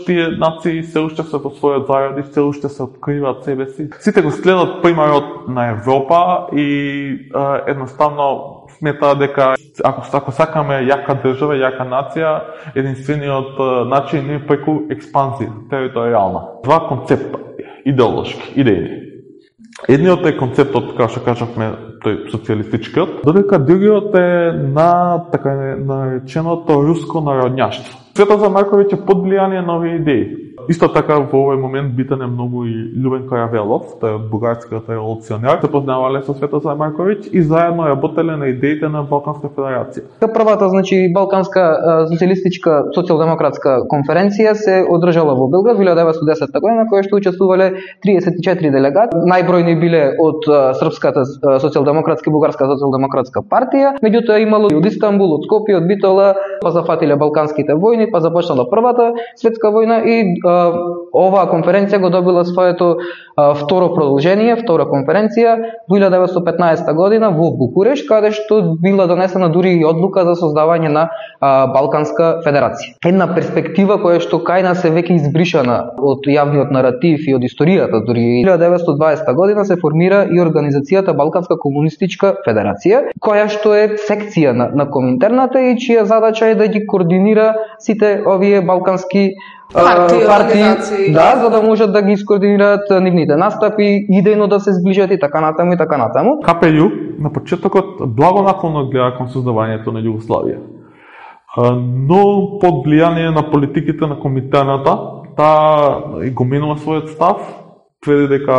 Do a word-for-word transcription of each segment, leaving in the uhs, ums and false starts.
Тие нации се уште се во својот заради, се уште се откриваат себе си. Сите го следат примерот на Европа и а, едноставно сметаат дека ако, ако сакаме јака држава, јака нација, единствениот а, начин е преку експанзија, територијална. Два концепта, идеолошки, идејни. Едниот е концептот, како што кажавме, тој социјалистичкиот, додека другиот е на така нареченото руско народњаштво. Светозар Марковиќ е под влијание на овие идеи. Исто така во овој момент битен е многу и Љубен Каравелов, тој од бугарскиот револуционер, се познавале со Светозар Марковиќ и заедно работеле на идеите на Балканска федерација. Првата, значи, Балканска социјалистичка социјалдемократска конференција се одржала во Белград во илјада деветстотини и десета година, која што учествувале триесет и четири делегати. Најбројни биле од Српската социјалдемократска и Бугарска социјалдемократска партија, меѓутоа имало и од Истанбул, од Скопје, од Битола, па зафатиле Балканските војни, па започнала Првата светска војна и оваа конференција го добила своето а, второ продолжение, втора конференција во илјада деветстотини и петнаесета година во Букурешт, каде што била донесена дури и одлука за создавање на а, Балканска федерација. Една перспектива која што кај нас е веќе избришана од јавниот наратив и од историјата. Дури илјада деветстотини и дваесета година се формира и организацијата Балканска комунистичка федерација, која што е секција на, на Коминтерната и чија задача е да ги координира сите овие балкански партии, партии да, за да можат да ги скоординираат нивните настапи, идејно да се зближат и така натаму и така натаму. Ка пе Ју на почетокот благонаклонно гледа кон создавањето на Југославија. Но под влијание на политиките на Коминтерната, таа го менува својот став, тврди дека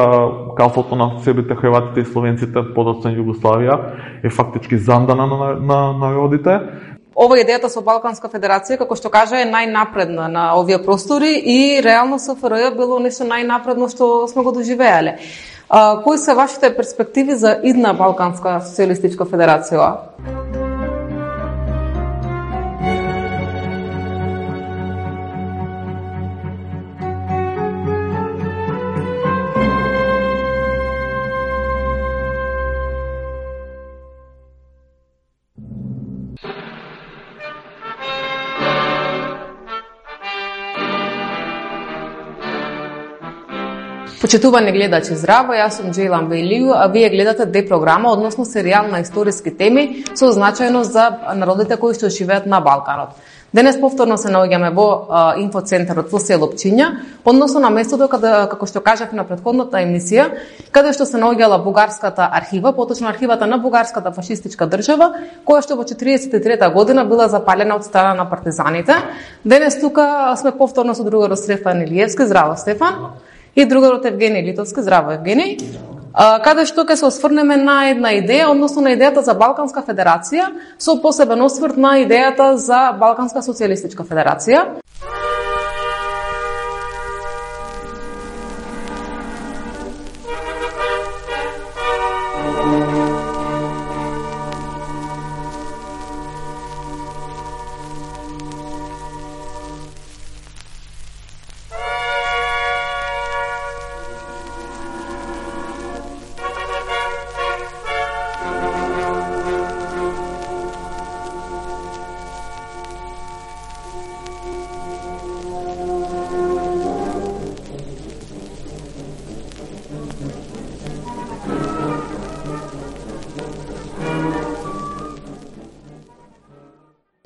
калството на себите хрватите и словенците подоцна Југославија е фактички зандана на, на народите. Ова идејата со Балканска федерација, како што кажа, е најнапредна на овие простори и реално С Ф Р Ј било нешто најнапредно што сме го доживеале. А, кои се вашите перспективи за идна Балканска социјалистичка федерација? Почитувани гледачи, здраво, јас сум Џејлан Бејлију, а вие гледате Д програма, односно серијал на историски теми со значајност за народите кои што живеат на Балканот. Денес повторно се наоѓаме во а, инфоцентарот во село Пчиња, односно на местото каде, како што кажав на претходната емисија, каде што се наоѓала бугарската архива, поточно архивата на бугарската фашистичка држава, која што во четириесет и трета година била запалена од страна на партизаните. Денес тука сме повторно со другарот Стефан Илиевски, здраво Стефан, и другарот Евгений Литовски, здраво Евгений, каде што ќе се осврнеме на една идеја, односно на идејата за Балканска федерација, со посебен осврт на идејата за Балканска социјалистичка федерација.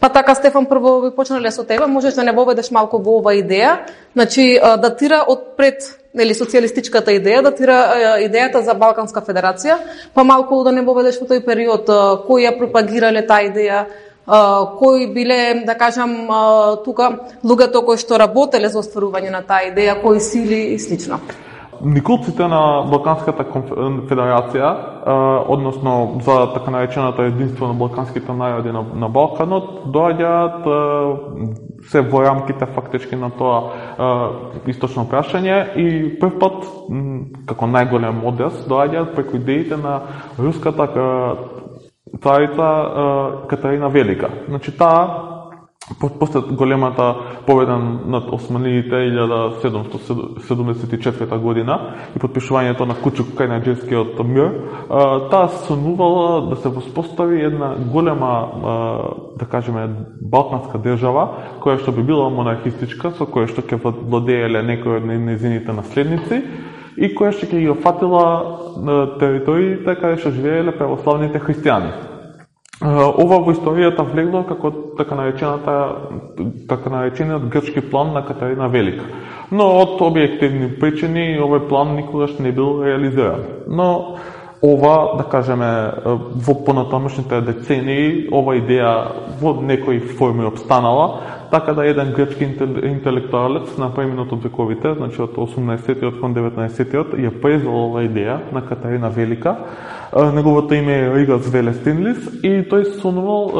Па така, Стефан, прво ви почнале со тебе, можеш да не воведеш малку во ова идеја, значи датира од пред, нели, социјалистичката идеја, датира идејата за Балканска федерација, па малку да не воведеш во тој период, кои ја пропагирале таа идеја, кои биле, да кажам, тука луѓето кои што работеле за остварување на таа идеја, кои сили и слично. Николците на Балканската федерација, односно за така наречената единство на балканските народи на, на Балканот, доаѓаат се во рамките фактички на тоа источно прашање и прв пат, како најголем одес, доаѓаат преку идеите на руската царица Катерина Велика. Значи, таа после големата победа над османиите илјада седумстотини седумдесет и четврта година и подпишувањето на Кучук Кајнаџевскиот мир, таа сонувала да се воспостави една голема, да кажеме, балканска држава, која што би била монархистичка, со која што ќе владееле некои од нејзините наследници и која што ќе ги опфатила териториите каде што живееле православните христијани. Ова во историјата влегло како така наречената така наречениот грчки план на Катарина Велика. Но од објективни причини овој план никогаш не бил реализиран. Но ова, да кажеме, во понатамошните децении ова идеја во некои форми обстанала, така да еден грчки интелектуалец на преминот од вековите, значи од осумнаесеттиот кон деветнаесеттиот, ја презел ова идеја на Катарина Велика. Неговото име е Ригас Велестинлис и тој сонувал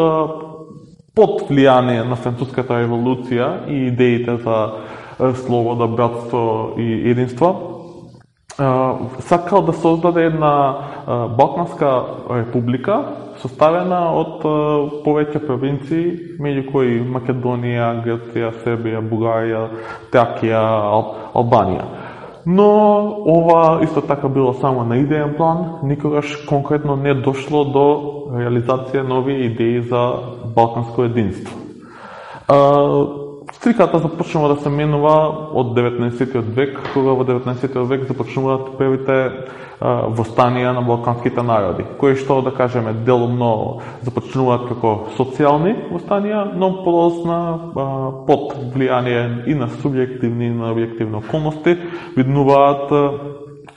под влијание на француската револуција и идеите за слобода, братство и единство, сакал да создаде една балканска република составена од повеќе провинции, меѓу кои Македонија, Грција, Србија, Бугарија, Тракија, Албанија. Но ова исто така било само на идеен план, никогаш конкретно не дошло до реализација нови идеи за балканско единство. Сликата започнува да се менува од деветнаесеттиот век, кога во деветнаесеттиот век започнуваат првите востанија на балканските народи, кои што, да кажеме, делумно започнуваат како социјални востанија, но подосна под влијание и на субјективни и на објективни околности виднуваат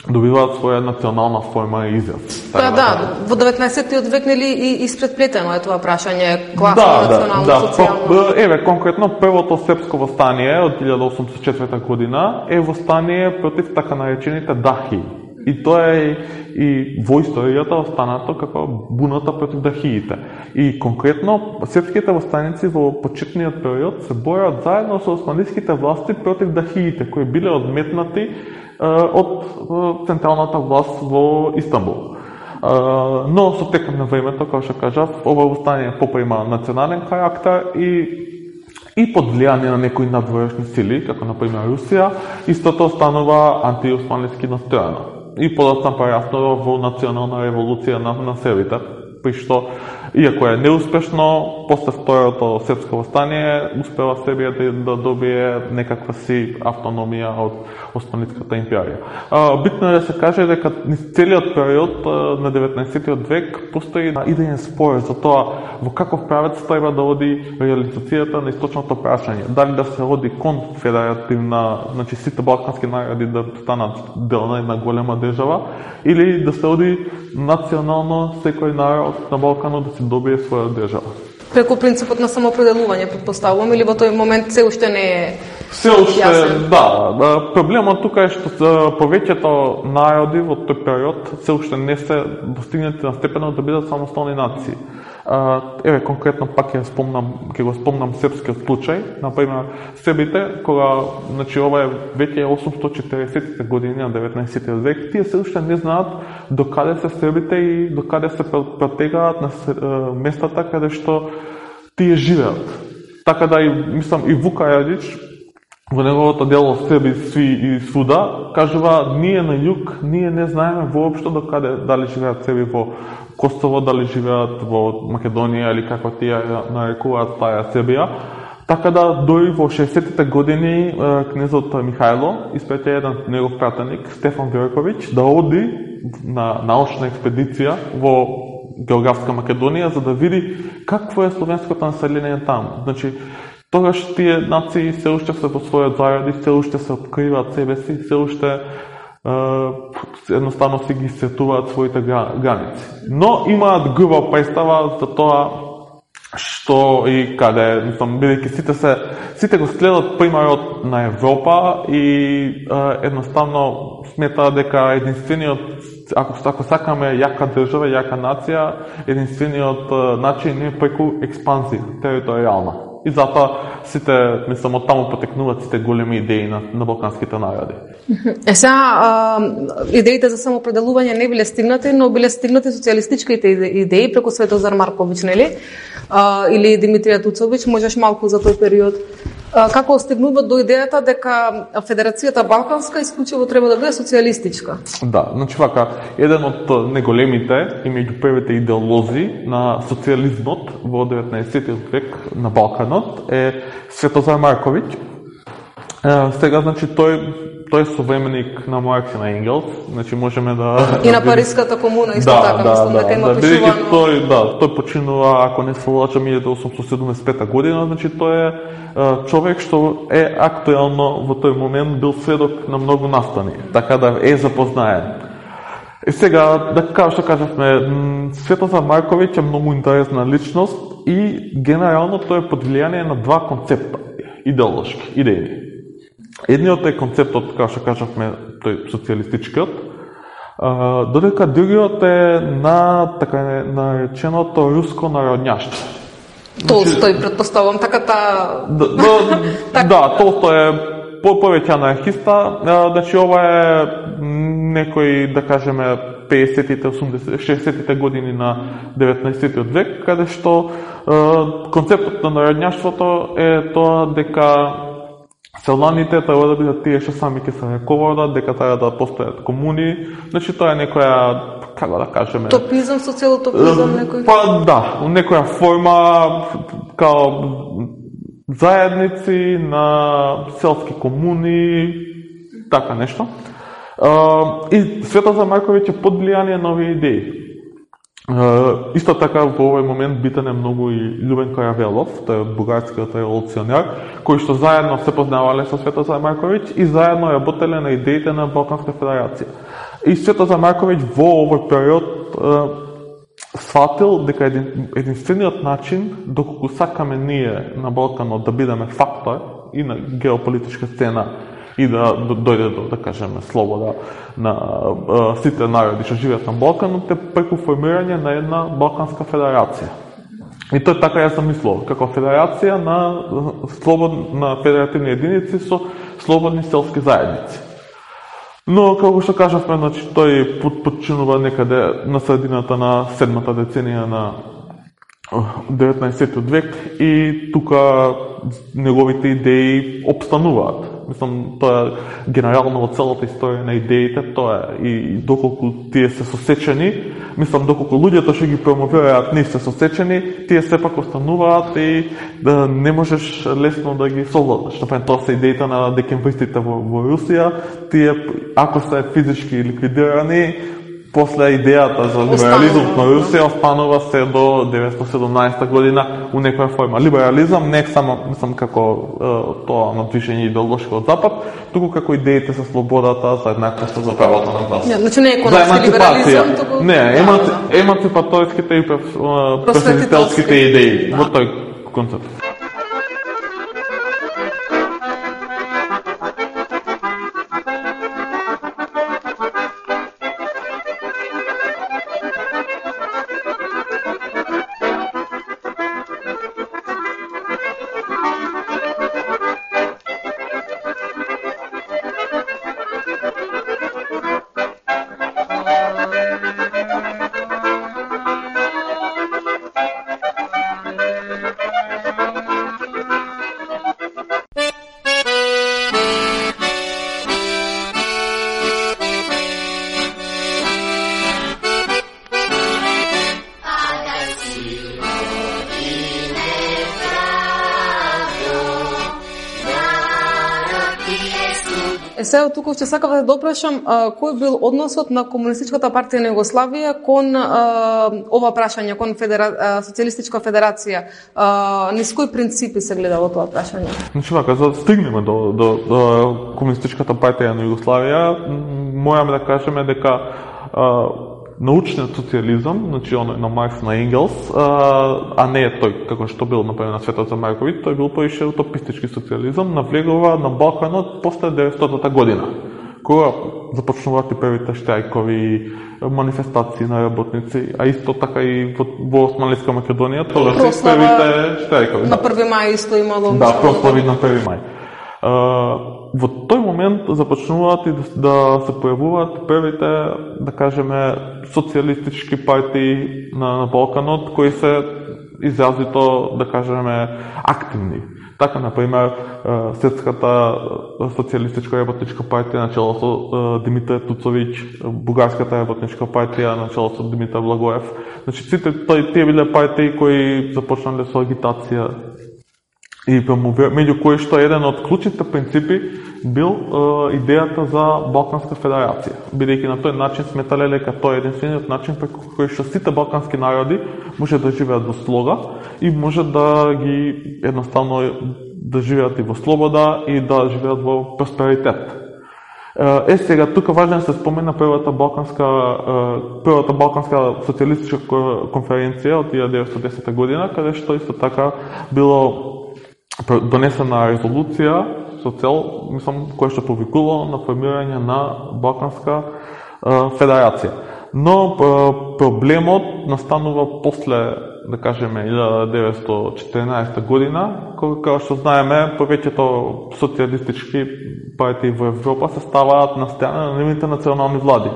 добиваат своја национална форма и израз. Па да, во деветнаесеттиот век нели и испредплетено е тоа прашање класно, да, национално, да, социјално. Да, еве конкретно првото српско востание од илјада осумстотини и четврта година е востание против така наречените дахи. И тоа е и во историјата останато како буната против дахиите. И конкретно српските востаници во почетниот период се борат заедно со османските власти против дахиите, кои биле одметнати од централната власт во Истанбул. Но со текот на времето, како што кажав, ова востание поприма национален карактер и и под влијание на некои надворешни сили, како например Русија, истото станува антиосманлиски настроено. И подоцна пораснува во национална револуција на, на србите, при што, иако е неуспешно, после второто српско востание, успела Србија да, да добие некаква си автономија од Османската империја. А, битно е да се каже дека низ целиот период на деветнаесеттиот век постои идеен спор за тоа во каков правец треба да оди реализацијата на источното прашање. Дали да се оди кон федеративна, значи сите балкански народи да станат дел на една голема држава, или да се оди национално секој народ на Балканот да се добие своја држава. Преку принципот на самоопределување, претпоставувам, или во тој момент се уште не е Се уште, јасен? Да. Проблемот тука е што повеќето народи во тој период се уште не се достигнати на степенот да бидат самостојни нации. Еве конкретно пак ќе спомнам, ќе го спомнам српскиот случај, на пример србите кога, значи ова е веќе осумстотини и четиридесеттите години на деветнаесеттиот век, тие се уште не знаат до каде се србите и до каде се протегаат на местата каде што тие живеат. Така да и мислам и Вука Јадич во неговото дело Срби сви и свуда кажува ние на југ, ние не знаеме воопшто до каде дали живеат срби во Косово, дали живеат во Македонија или како тие нарекуваат таа Србија. Така да дори во шеесеттите години кнезот Михајло испрати еден негов пратеник Стефан Вјорковиќ да оди на научна експедиција во географска Македонија за да види какво е словенското население таму. Значи тогаш тие нации се уште се во својот заради, се уште се откриваат себе си, се уште е, едноставно си ги сетуваат своите граници. Но имаат груба представа за тоа што и каде, мислам, бидејќи сите се сите го следат примерот на Европа и е, едноставно сметаат дека единствениот, ако ако сакаме јака држава, јака нација, единствениот начин е преку експанзија територијална. и затоа сите, мислам, од таму потекнуваат сите големи идеи на, на балканските народи. Е сега, идеите за самоопределување не биле стигнати, но биле стигнати социјалистичките идеи преку Светозар Марковиќ, нели? А, или Димитрија Туцовиќ, можеш малку за тој период. А, како стигнуваат до идејата дека Федерацијата Балканска исклучиво треба да биде социјалистичка? Да, значи вака, еден од неголемите и меѓу првите идеолози на социјализмот во деветнаесеттиот век на Балканот е Светозар Марковиќ. Е, сега, значи, тој тој е современик на Маркс и на Енгелс, значи можеме да... И на Париската комуна, исто да, така, да, мислам да, дека има да, пишувано... Тој, да, тој починува, ако не се лажам, илјада осумстотини седумдесет и пета година, значи тој е а, човек што е актуелно во тој момент бил сведок на многу настани, така да е запознаен. И сега, да како што кажавме, Светозар Марковиќ е многу интересна личност и генерално тој е под влијание на два концепта, идеолошки, идејни. Едниот е концептот, како што кажавме, тој социјалистичкиот, додека другиот е на така нареченото руско народњаштво. Толстој, предпоставам, така та... Да, да, да, Толстој е по повеќе анархиста, значи ова е некој, да кажеме, педесетите, осумдесетите, шеесеттите години на деветнаесеттиот век, каде што концептот на народњаштвото е тоа дека селаните треба да бидат тие што сами ќе се раководат, дека треба да постојат комуни, значи тоа е некоја, како да кажеме... Топизам, социјалотопизам некој? Па да, некоја форма, као заедници на селски комуни, така нешто. И Светозар Марковиќ е под влијание на овие идеи. Uh, исто така во овој момент битен е многу и Љубен Каравелов, тој е бугарскиот револуционер, кои што заедно се познавале со Светозар Марковиќ и заедно работеле на идеите на Балканска федерација. И Светозар Марковиќ во овој период uh, сватил дека един, единствениот начин доколку сакаме ние на Балканот да бидеме фактор и на геополитичка сцена и да дојде до, да кажеме, слобода на а, сите народи што живеат на Балканот, е преку формирање на една Балканска федерација. И тој така ја замислувал, како федерација на слободна федеративни единици со слободни селски заедници. Но, како што кажавме, значи, тој починува некаде на средината на седмата деценија на деветнаесеттиот век и тука неговите идеи обстануваат. Мислам, тоа е генерално во целата историја на идеите, тоа е и доколку тие се сосечени, мислам, доколку луѓето што ги промовираат не се сосечени, тие сепак остануваат и да не можеш лесно да ги совладаш. Например, тоа се идеите на декембристите во, во Русија, тие ако се физички ликвидирани, после идејата за либерализмот на Русија останува се до деветстотини и седумнаесета година у некоја форма. Либерализам не е само, мислам, како е, тоа на движење идеолошко од запад, туку како идеите за слободата, за еднаквост, за правото на глас. Не, значи не е економски либерализам, туку... Не, еманци... еманципаторските и просветителските идеи во тој концепт. Е, сега тука ќе сакав да допрашам а, кој бил односот на Комунистичката партија на Југославија кон а, ова прашање, кон федера... а, Социјалистичка федерација. А, низ кои принципи се гледа во тоа прашање? Значи, вака, за да стигнеме до, до, до Комунистичката партија на Југославија, мораме да кажеме дека а, научниот социјализам, значи оној на Маркс, на Енгелс, а, а не е тој како што бил например на Светозар Марковиќ, тој бил поише утопистички социјализам, навлегува на Балканот после деветстотата година, кога започнуваат и првите штрајкови, манифестации на работници, а исто така и во, во Османлиска Македонија, тоа се првите штрајкови. На први мај исто имало. Да, прослави на први мај. Во тој момент започнуваат и да, да се појавуваат првите, да кажеме, социјалистички партии на, на Балканот, кои се изразито, да кажеме, активни. Така, например, Српската социјалистичка работничка партија начело со Димитар Туцовиќ, Бугарската работничка партија начело со Димитар Благоев. Значи, сите тие биле партии кои започнале со агитација и меѓу кои што еден од клучните принципи бил е, идејата за Балканска федерација, бидејќи на тој начин сметале дека тоа е единствениот начин преку кој што сите балкански народи може да живеат во слога и може да ги едноставно да живеат и во слобода и да живеат во просперитет. Е, сега тука важно да се спомена првата балканска првата балканска социјалистичка конференција од илјада деветстотини и десета година, каде што исто така било донесена резолуција со цел, мислам, која што повикувало на формирање на Балканска е, федерација. Но е, проблемот настанува после, да кажеме, илјада деветстотини и четиринаесета година, кога што знаеме, повеќето социјалистички партии во Европа се ставаат на страна на нивните национални влади,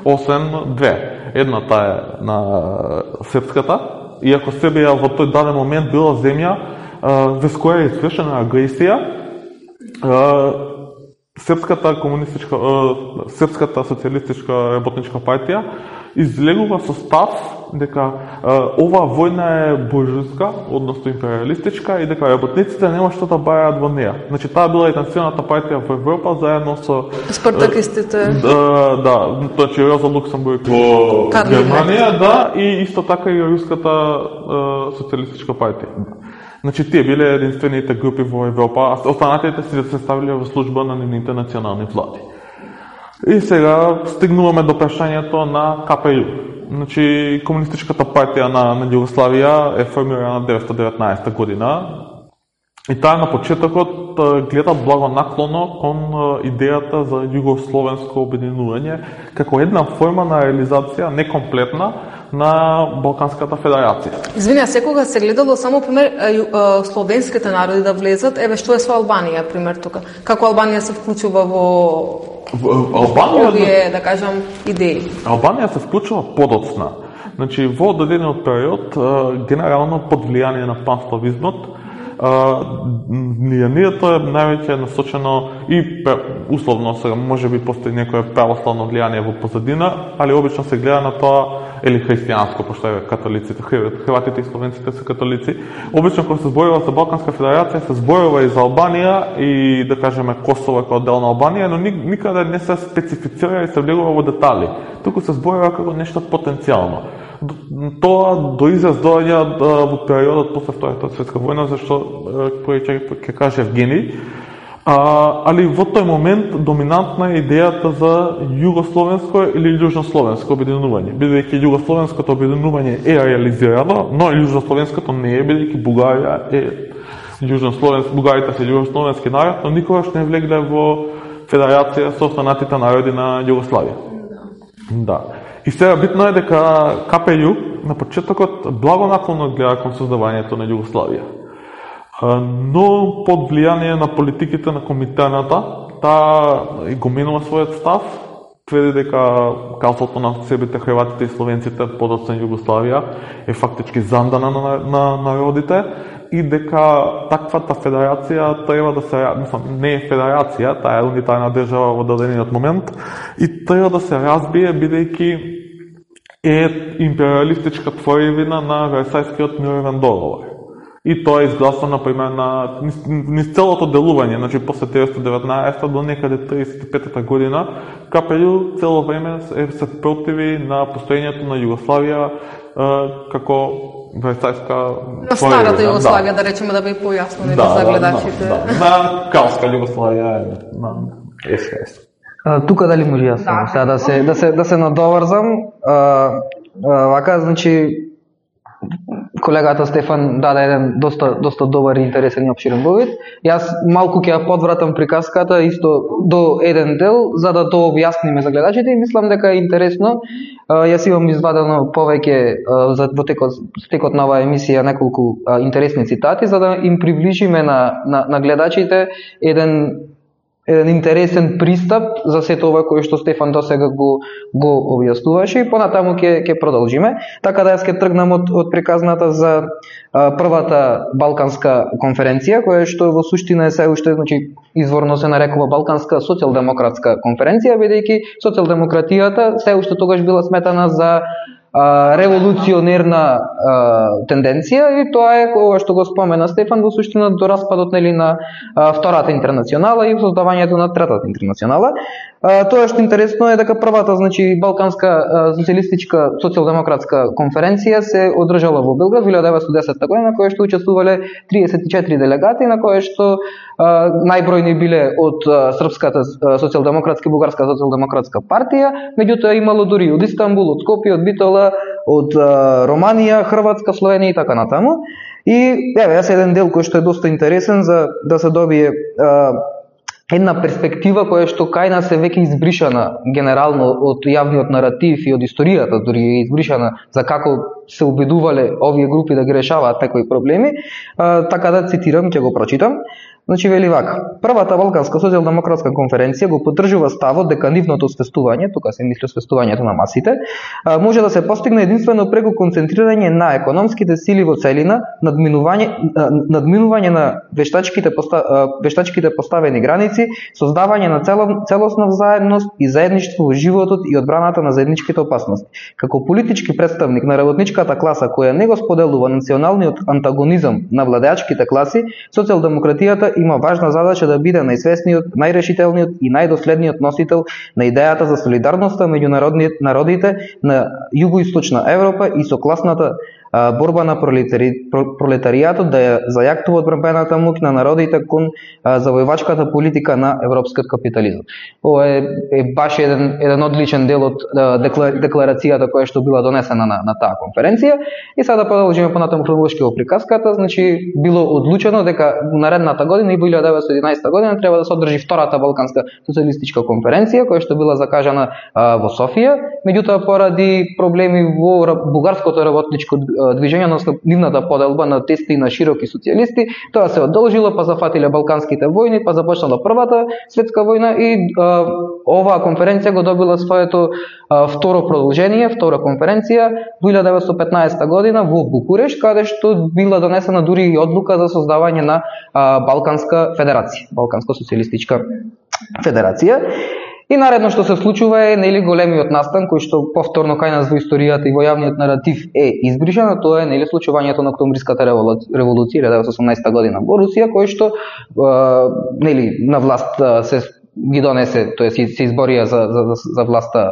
освен две. Едната е на Српската, иако Србија во тој даден момент била земја врз која е извршена агресија, Српската комунистичка, Српската социјалистичка работничка партија излегува со став дека оваа војна е буржујска, односно империалистичка, и дека работниците нема што да бараат во неа. Значи, таа била единствената партија во Европа заедно со спартакистите. Да, да, значи Роза Луксембург во Германија, да, и исто така и Руската социјалистичка партија. Значи, тие биле единствените групи во Европа, а останатите си се ставиле во служба на нивните национални влади. И сега стигнуваме до прашањето на Ка Пе Ју. Значи, Комунистичката партија на, на Југославија е формирана деветстотини и деветнаесета година и таа на почетокот гледа благонаклоно кон идејата за југословенско обединување како една форма на реализација некомплетна на Балканската федерација. Извини, секогаш се гледало само пример словенските народи да влезат, еве што е со Албанија пример тука. Како Албанија се вклучува во Албанија, овие, да кажам, идеи? Албанија се вклучува подоцна. Значи, во одредениот период, генерално под влијание на панславизмот, влијанието е највеќе насочено и условно сега може би постои некое православно влијание во позадина, али обично се гледа на тоа или христијанско, пошто е католиците, хрватите и словенците се католици. Обично кога се зборува за Балканска федерација се зборува и за Албанија и да кажеме Косово како дел на Албанија, но никаде не се специфицира и се влегува во детали. Туку се зборува како нешто потенцијално. Тоа до израз доаѓа во периодот после Втората светска војна, зашто кој ќе каже Евгений. А, али во тој момент доминантна е идејата за југословенско или јужнословенско обединување, бидејќи југословенското обединување е реализирано, но јужнословенското не е, бидејќи Бугарија е јужнословенски, бугарите се јужнословенски народ, но никогаш не влегле во федерација со останатите народи на Југославија. Да. И сега битно е дека Ка Пе Ју на почетокот благонаклонно гледа кон создавањето на Југославија. Но под влијание на политиките на Коминтерната, таа го менува својот став, тврди дека калството на себите, хрватите и словенците подоцна Југославија е фактички зандана на, на народите и дека таквата федерација треба да се, мислам, не е федерација, таа е унитарна држава во дадениот момент и треба да се разбие бидејќи е империалистичка творевина на Версајскиот мировен договор. И тоа е изгласано, например, на низ целото делување, значи после деветстотини и деветнаесета до некаде триесет и петата година, Ка Пе Ју цело време се противи на постоењето на Југославија како Версајска на старата Југославија, да, да речеме, да би појаснили да, за гледачите. Да, да, на Кралска Југославија, на ес ха ес. Тука дали може јас само сега да се да се да се надоврзам, а, а, вака, значи колегата Стефан даде еден доста доста добар и интересен и обширен вовид. Јас малку ќе ја подвратам приказката исто до еден дел за да тоа објасниме за гледачите и мислам дека е интересно. Јас имам извадено повеќе за во текот текот на оваа емисија неколку интересни цитати за да им приближиме на на, на гледачите еден еден интересен пристап за сето ова кој што Стефан досега го го објаснуваше и понатаму ќе ќе продолжиме. Така да јас ќе тргнам од од приказната за а, првата балканска конференција која што во суштина е се уште, значи изворно се нарекува Балканска социјалдемократска конференција, бидејќи социјалдемократијата се уште тогаш била сметана за Uh, револуционерна uh, тенденција и тоа е кога што го спомена Стефан во суштина до распадот нели на uh, втората интернационала и создавањето на третата интернационала. Uh, тоа што интересно е дека првата, значи Балканска uh, социјалистичка социјалдемократска конференција се одржала во Белград во илјада деветстотини и десета година, која што учествувале триесет и четири делегати, на која што uh, најбројни биле од uh, српската uh, социјалдемократска и бугарска социјалдемократска партија, меѓутоа имало дури од Истанбул, од Скопје, од Битола, од а, Романија, Хрватска, Словенија и така натаму. И еве јас еден дел кој што е доста интересен за да се добие а, една перспектива која што кај нас е веќе избришана генерално од јавниот наратив и од историјата, дури е избришана за како се обидувале овие групи да ги решаваат некои проблеми. А, така да цитирам, ќе го прочитам. Значи вели вака: првата Балканска социјалдемократска конференција го поддржува ставот дека нивното свестување, тука се мисли свестувањето на масите, може да се постигне единствено преку концентрирање на економските сили во целина, надминување надминување на вештачките поста, вештачките поставени граници, создавање на цело, целосна заедност и заедништво во животот и одбраната на заедничките опасности. Како политички представник на работничката класа која не го споделува националниот антагонизам на владеачките класи, социјалдемократијата има важна задача да биде најсвесниот, најрешителниот и најдоследниот носител на идејата за солидарноста меѓу народите на југоисточна Европа и со класната борба на пролетари, пролетаријатот да ја зајактува одбранбената моќ на народите кон завојвачката политика на европскиот капитализам. Ова е, е баш еден еден одличен дел од декларацијата која што била донесена на, на таа конференција. И сега да продолжиме понатаму хронолошки во приказката. Значи било одлучено дека наредната година и во илјада деветстотини и единаесета година треба да се одржи втората Балканска социјалистичка конференција која што била закажана а, во Софија. Меѓутоа поради проблеми во бугарското работничко движење, односно нивната поделба на тести на широки социјалисти, тоа се одолжило, па зафатиле балканските војни, па започнала првата светска војна и а, оваа конференција го добила своето а, второ продолжение, втора конференција во илјада деветстотини и петнаесета година во Букурешт, каде што била донесена дури и одлука за создавање на а, Балканска федерација, Балканска социјалистичка федерација. И наредно што се случува е нели големиот настан кој што повторно кај нас во историјата и во јавниот наратив е избришан, тоа е нели случувањето на октомвриската револуција илјада деветстотини и осумнаесета година во Русија, кој што е, нели на власт се ги донесе, тоа се изборија за за за власта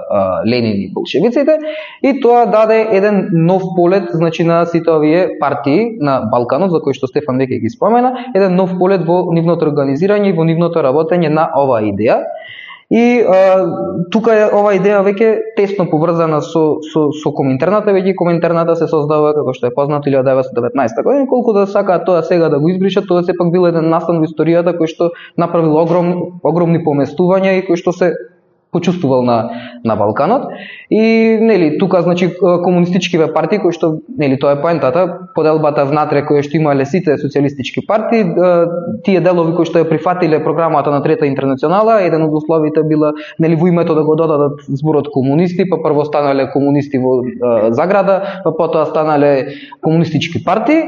Ленин и болшевиците, и тоа даде еден нов полет, значи на сите овие партии на Балканот, за кои што Стефан веќе ги спомена, еден нов полет во нивното организирање и во нивното работење на оваа идеја. И а, тука е ова идеја веќе тесно поврзана со со со Коминтерната, веќе Коминтерната се создава како што е познато илјада деветстотини и деветнаесета година, колку да сакаат тоа сега да го избришат, тоа сепак бил еден настан во историјата кој што направил огромни огромни поместувања и кој што се почувствувал на на Балканот. И нели тука значи комунистичкиве партии кои што нели тоа е поентата, поделбата внатре која што имале сите социјалистички партии, тие делови кои што ја прифатиле програмата на Трета интернационала, еден од условите била нели во името да го додадат зборот комунисти, па прво станале комунисти во заграда, па потоа станале комунистички партии.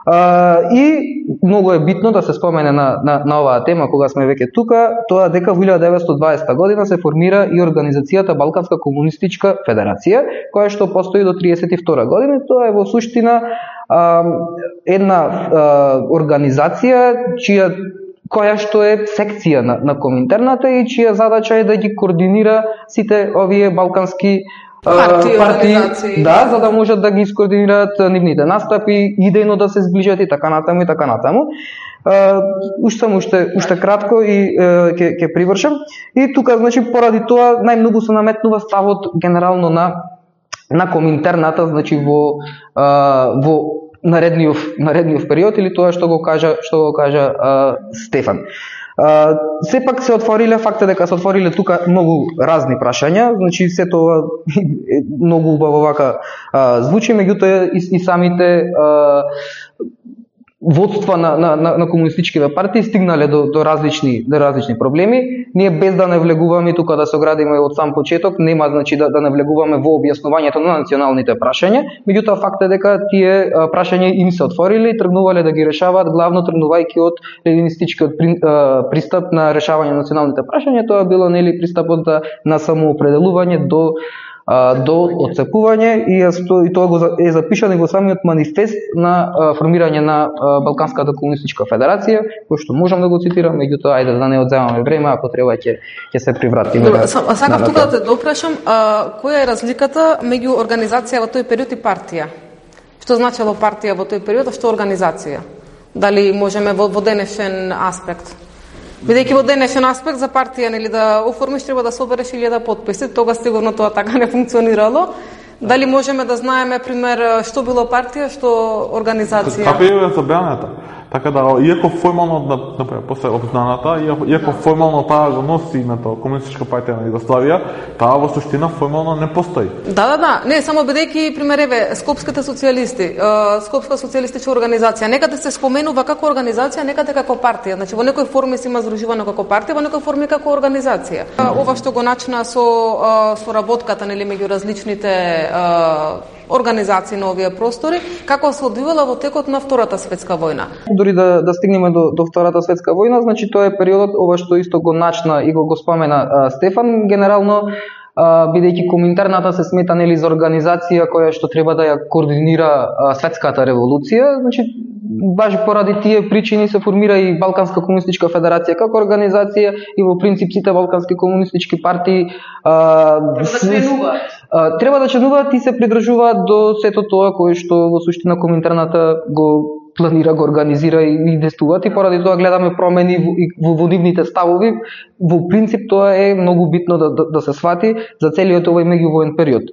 Uh, и многу е битно да се спомене на, на, на оваа тема кога сме веќе тука, тоа дека во илјада деветстотини и дваесета година се формира и организацијата Балканска комунистичка федерација, која што постои до триесет и втора година. Тоа е во суштина uh, една uh, организација чија која што е секција на, на Коминтерната и чија задача е да ги координира сите овие балкански партии, партии да, за да можат да ги искоординираат нивните настапи, идејно да се сближат и така натаму и така натаму. Уште само уште уште кратко и ќе ќе привршам. И тука значи поради тоа најмногу се наметнува ставот генерално на на Коминтерната, значи во во наредниот наредниот период или тоа што го кажа што го кажа а, Стефан. А, сепак се отвориле факта дека се отвориле тука многу разни прашања, значи се тоа многу убаво вака а, звучи, меѓутоа и, и самите а, водства на, на, на, на комунистичките партии стигнале до, до, различни, до различни проблеми. Ние без да не влегуваме тука да се оградиме од сам почеток, нема значи да, да не влегуваме во објаснувањето на националните прашања, меѓутоа факт е дека тие прашања им се отвориле и тргнувале да ги решаваат, главно тргнувајќи од ленинистичкиот пристап на решавање на националните прашања. Тоа било нели пристапот на самоопределување до до отцепување и, и тоа го е запишано и во самиот манифест на формирање на Балканската комунистичка федерација, кој што можам да го цитирам, меѓутоа ајде да не одземаме време, ако треба ќе ќе се привратиме. Добре, сакав тука да те допрашам, а, која е разликата меѓу организација во тој период и партија? Што значело партија во тој период, а што организација? Дали можеме во, во денешен аспект? Бидејќи во денешен аспект за партија нели да оформиш треба да собереш илјада потписи, тога сигурно тоа така не функционирало. Дали можеме да знаеме пример што било партија, што организација? Како е забраната. Така да, иако формално, например, после обзнаната, иако формално таа го носи името Комунистичка партија на Југославија, таа во суштина формално не постои. Да, да, да. Не, само бидејќи, пример, еве, Скопските социјалисти, Скопска социјалистичка организација, некаде се споменува како организација, некаде како партија. Значи, во некои форми се има здружувано како партија, во некои форми како организација. Ова што го начина со соработката, нели, меѓу различните организации на овие простори, како се одвивала во текот на Втората светска војна. Дори да, да стигнеме до, до Втората светска војна, значи тоа е периодот, ова што исто го начна и го, го спомена а, Стефан, генерално, а, бидејќи Коминтерната се смета нели за организација која што треба да ја координира а, светската револуција, значи баш поради тие причини се формира и Балканска комунистичка федерација како организација и во принцип сите балкански комунистички партии а, а, треба да членуваат и се придржуваат до сето тоа кое што во суштина Коминтерната го планира, го организира и действуваат, и поради тоа гледаме промени во, во нивните ставови. Во принцип тоа е многу битно да, да, да се свати за целиот овој меѓувоен период.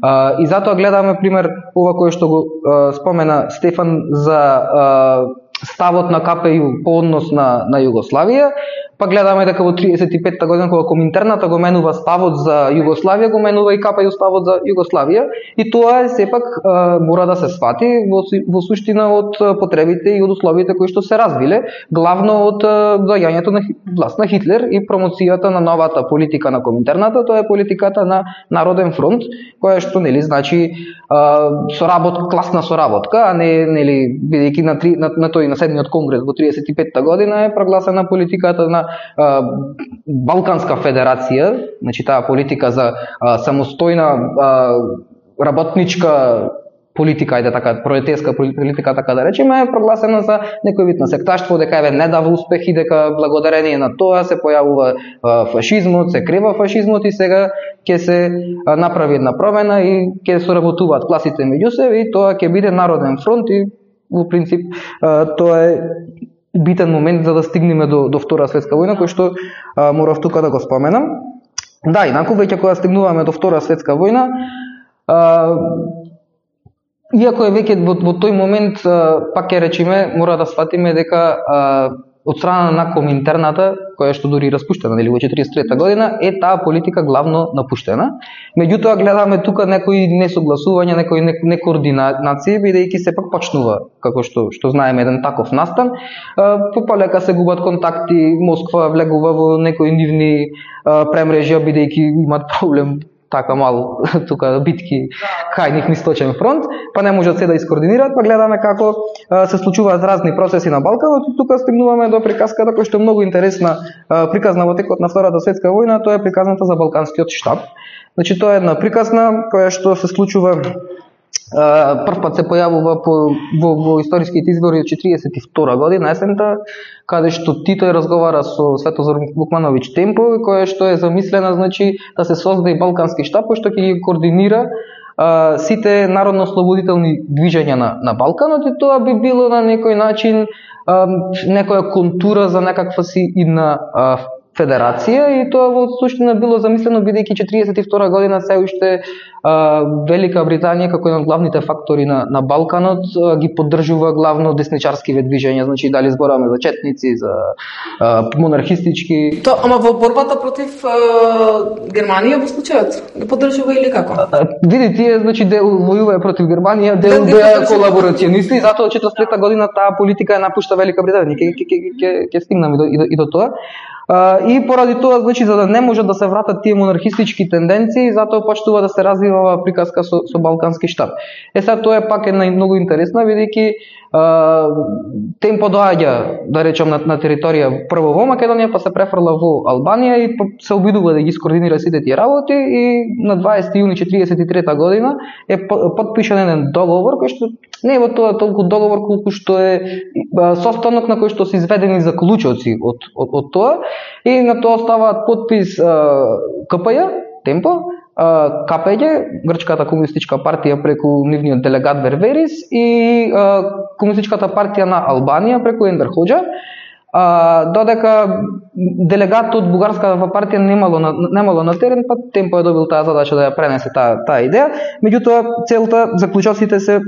А, и затоа гледаме пример ова кое што го а, спомена Стефан за а, ставот на КПЮ по однос на, на Југославија, па гледаме дека во триесет и петта година кога Коминтерната го менува ставот за Југославија, го менува и КПЮ ставот за Југославија, и тоа е сепак а, мора да се свати во, во суштина од потребите и од условите кои што се развиле, главно од доаѓањето на власт на Хитлер и промоцијата на новата политика на Коминтерната, тоа е политиката на Народен фронт, која што нели значи а, соработ, класна соработка, а не нели бидејќи на, три, на, на тој на седмиот конгрес во триесет и петта година е прогласена политиката на а, Балканска федерација, значи таа политика за а, самостојна а, работничка политика, ајде така, пролетарска политика, така да речеме, е прогласена за некој вид на секташтво, дека еве не дава успехи, дека благодарение на тоа се појавува а, фашизмот, се крива фашизмот и сега ќе се а, направи една промена и ќе соработуваат класите меѓу себе и тоа ќе биде Народен фронт и во принцип а, тоа е битен момент за да стигнеме до, до Втора светска војна, кој што а, морав тука да го споменам. Да, инаку веќе кога стигнуваме до Втора светска војна, а, иако е веќе во, во тој момент, а, пак ќе речеме, мора да сватиме дека а, од страна на Коминтерната, која што дури распуштена нели во четириесет и трета година, е таа политика главно напуштена. Меѓутоа гледаме тука некои несогласувања, некои некоординации, бидејќи сепак почнува, како што што знаеме, еден таков настан. Попалека се губат контакти, Москва влегува во некои нивни премрежја, бидејќи имаат проблем така мал тука битки кај нив источен фронт, па не можат се да искоординираат, па гледаме како а, се случуваат разни процеси на Балканот и тука стигнуваме до приказката која што е многу интересна, а, приказна во текот на Втората светска војна, тоа е приказната за Балканскиот штаб. Значи тоа е една приказна која што се случува прв пат се појавува по, во, во историските извори од четириесет и втора година, есента, каде што Тито разговара со Светозар Вукмановиќ Темпо, која што е замислена, значи, да се создаде Балкански штаб, кој што ќе ги координира а, сите народно-ослободителни движења на, на Балканот, и тоа би било на некој начин а, некоја контура за некаква си идна а, федерација и тоа во суштина било замислено бидејќи четириесет и втора година се уште Велика Британија како еден од главните фактори на на Балканот ги поддржува главно десничарскиве движења, значи дали зборуваме за четници, за а, монархистички. То, ама во борбата против а, Германија во случајот ги поддржува или како? А, види тие, значи дел војува против Германија, дел беа колаборационисти, затоа четиридесет и трета година таа политика ја напушта Велика Британија. Ќе ќе ќе ќе стигнаме и до, и до тоа. Uh, и поради тоа, значи, за да не можат да се вратат тие монархистички тенденции, затоа почнува да се развива оваа приказка со, со балкански штаб. Е сега тоа е пак една многу интересна, бидејќи uh, темпо доаѓа, да речем, на, на територија прво во Македонија, па се префрла во Албанија и се обидува да ги скоординира сите тие работи и на дваесети јуни четириесет и трета година е потпишан еден договор кој што не е во тоа толку договор колку што е состанок на кој што се изведени заклучоци од, од, од тоа. И на тоа оставаат подпис КПЈ, Темпо, КПЈ, Грчката комунистичка партија преку нивниот делегат Верверис и Комунистичката партија на Албанија преку Енвер Хоџа. Додека делегат од бугарската партија немало на, немало на терен, па Темпо е добил таа задача да ја пренесе таа таа идеја. Меѓутоа целта заклучоците се,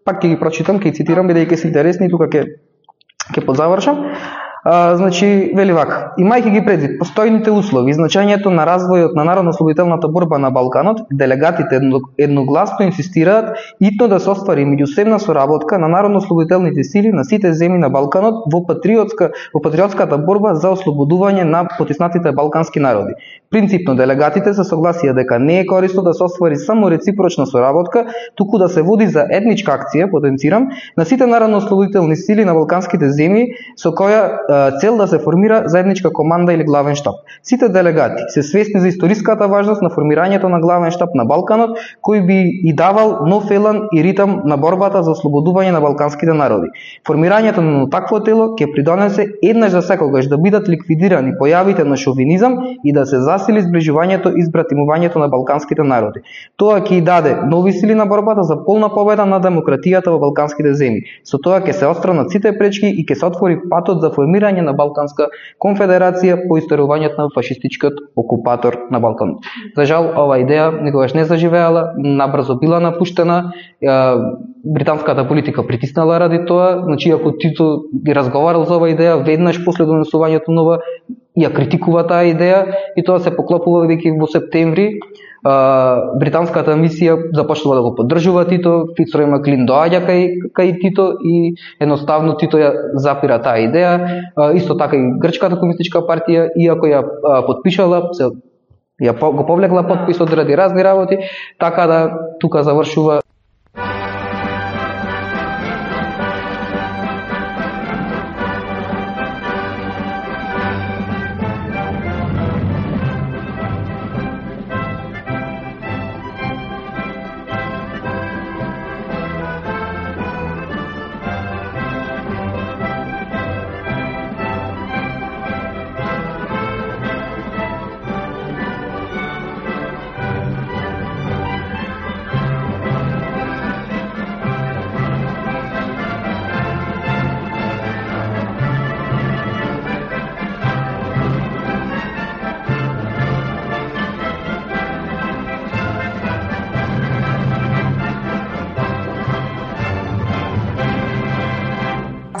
пак ќе ги прочитам, ќе ги цитирам бидејќи се интересни и тука ќе ќе подзавршам. А, значи, вели вака: имајќи ги предвид постојните услови и значењето на развојот на народно-ослободителната борба на Балканот, делегатите едногласно инсистираат итно да се оствари меѓусебна соработка на народно-ослободителните сили на сите земји на Балканот во патриотска во патриотската борба за ослободување на потиснатите балкански народи. Принципно делегатите се согласија дека не е корисно да се оствари само реципрочна соработка, туку да се води за етничка акција, потенцирам, на сите народно-ослободителни сили на балканските земји со која цел да се формира заедничка команда или главен штаб. Сите делегати се свесни за историската важност на формирањето на главен штаб на Балканот, кој би и давал нов елан и ритам на борбата за ослободување на балканските народи. Формирањето на такво тело ќе придонесе еднаш за секогаш да бидат ликвидирани појавите на шовинизам и да се засили зближувањето и збратимувањето на балканските народи. Тоа ќе и даде нови сили на борбата за полна победа на демократијата во балканските земји. Со тоа ќе се отстранат сите пречки и ќе се отвори патот за формирање на Балканска конфедерација по исторувањето на фашистичкиот окупатор на Балкан. За жал, ова идеја никогаш не заживеала, набрзо била напуштена, британската политика притиснала ради тоа, значи ако Тито ги разговарал за ова идеја, веднаш после донесувањето нова ја критикува таа идеја и тоа се поклопува веќе во септември. Uh, британската мисија започнува да го поддржува Тито, Фицрой Маклин доаѓа кај, кај Тито и едноставно Тито ја запира таа идеја. Uh, исто така и Грчката комунистичка партија, иако ја uh, подпишала, се, ја по, го повлекла подписот ради разни работи, така да тука завршува.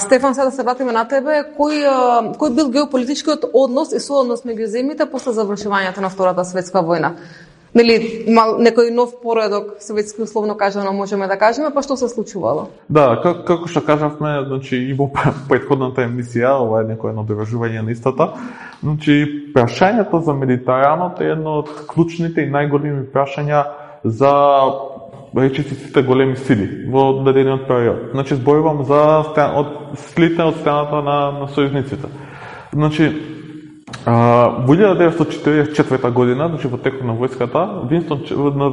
Стефан, сега да се вратиме на тебе, кој, кој бил геополитичкиот однос и сооднос меѓу земјите после завршувањето на Втората светска војна? Нели, мал, некој нов поредок, советски условно кажано, можеме да кажеме, па што се случувало? Да, как, како што кажавме, значи, и во претходната емисија, ова е некој надовржување на истата, значи, прашањето за Медитеранот е едно од клучните и најголеми прашања за речиси сите големи сили во дадениот период. Значи, зборувам за стан, од слите од страната на, на сојузниците. Значи, а, во илјада деветстотини четиридесет и четврта година, значи во текот на војската, Винстон,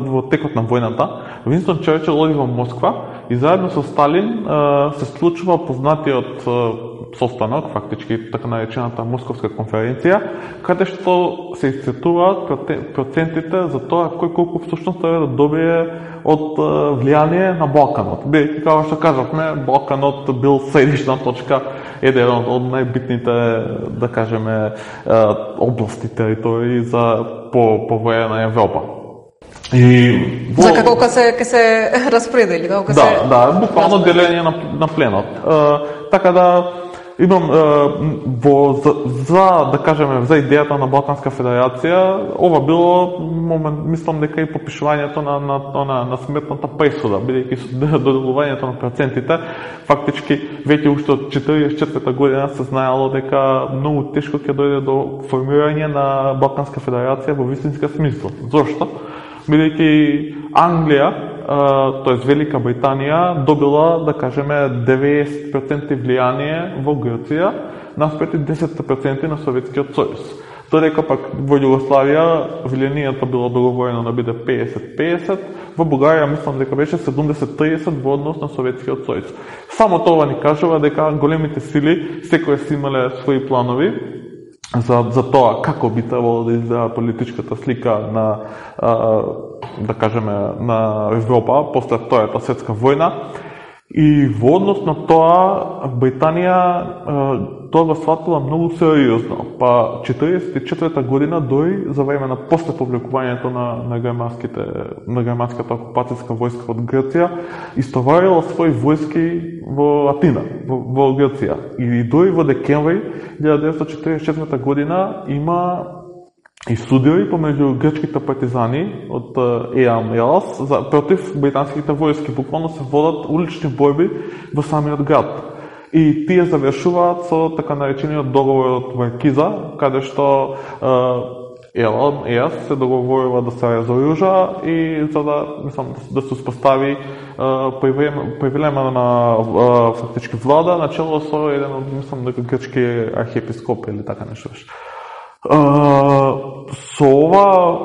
во текот на војната, Винстон Черчил оди во Москва и заедно со Сталин а, се случува познатиот состанок, фактички така наречената Московска конференција, каде што се исцртуваат процентите за тоа кој колку всушност треба да добие од влијание на Балканот. Бидејќи, како што кажавме, Балканот бил средишна точка, еден од најбитните, да кажеме, области, територии за по по време на Европа. И во... За како ка се ке се распредели, како ка да, се Да, буквално делење на на пленот. Uh, така да имам uh, во за, за да кажеме за идејата на Балканска федерација, ова било момент, мислам дека и попишувањето на на на, на смртната пресуда, бидејќи со доделувањето на процентите, фактички веќе уште од четиридесет и четврта година се знаело дека многу тешко ќе дојде до формирање на Балканска федерација во вистинска смисла. Зошто? Бидејќи Англија, тоест Велика Британија, добила, да кажеме, деветдесет проценти влијание во Грција, наспроти десет проценти на Советскиот сојуз. Додека пак во Југославија влијанието било договорено да биде педесет педесет, во Бугарија мислам дека беше седумдесет тридесет во однос на Советскиот сојуз. Само тоа ни кажува дека големите сили секој си имале своји планови за за тоа како би требало да изгледа политичката слика на а, да кажеме на Европа после Втората светска војна. И во однос на тоа Британија тоа го сватила многу сериозно. Па четиридесет и четврта година дој за време на после повлекувањето на на германските на германската окупацијска војска од Грција истоварила своји војски во Атина, во, во Грција. И дој во декември илјада деветстотини четиридесет и четврта година има и судири помеѓу грчките партизани од Еам Елас за против британските војски. Буквално се водат улични борби во самиот град. И тие завршуваат со така наречениот договор од Варкиза, каде што Елам Елас се договорува да се разоружа и за да, мислам, да се успостави привремена фактички влада начело со еден од, мислам, дека грчки архиепископ или така нешто беше. Uh, со ова,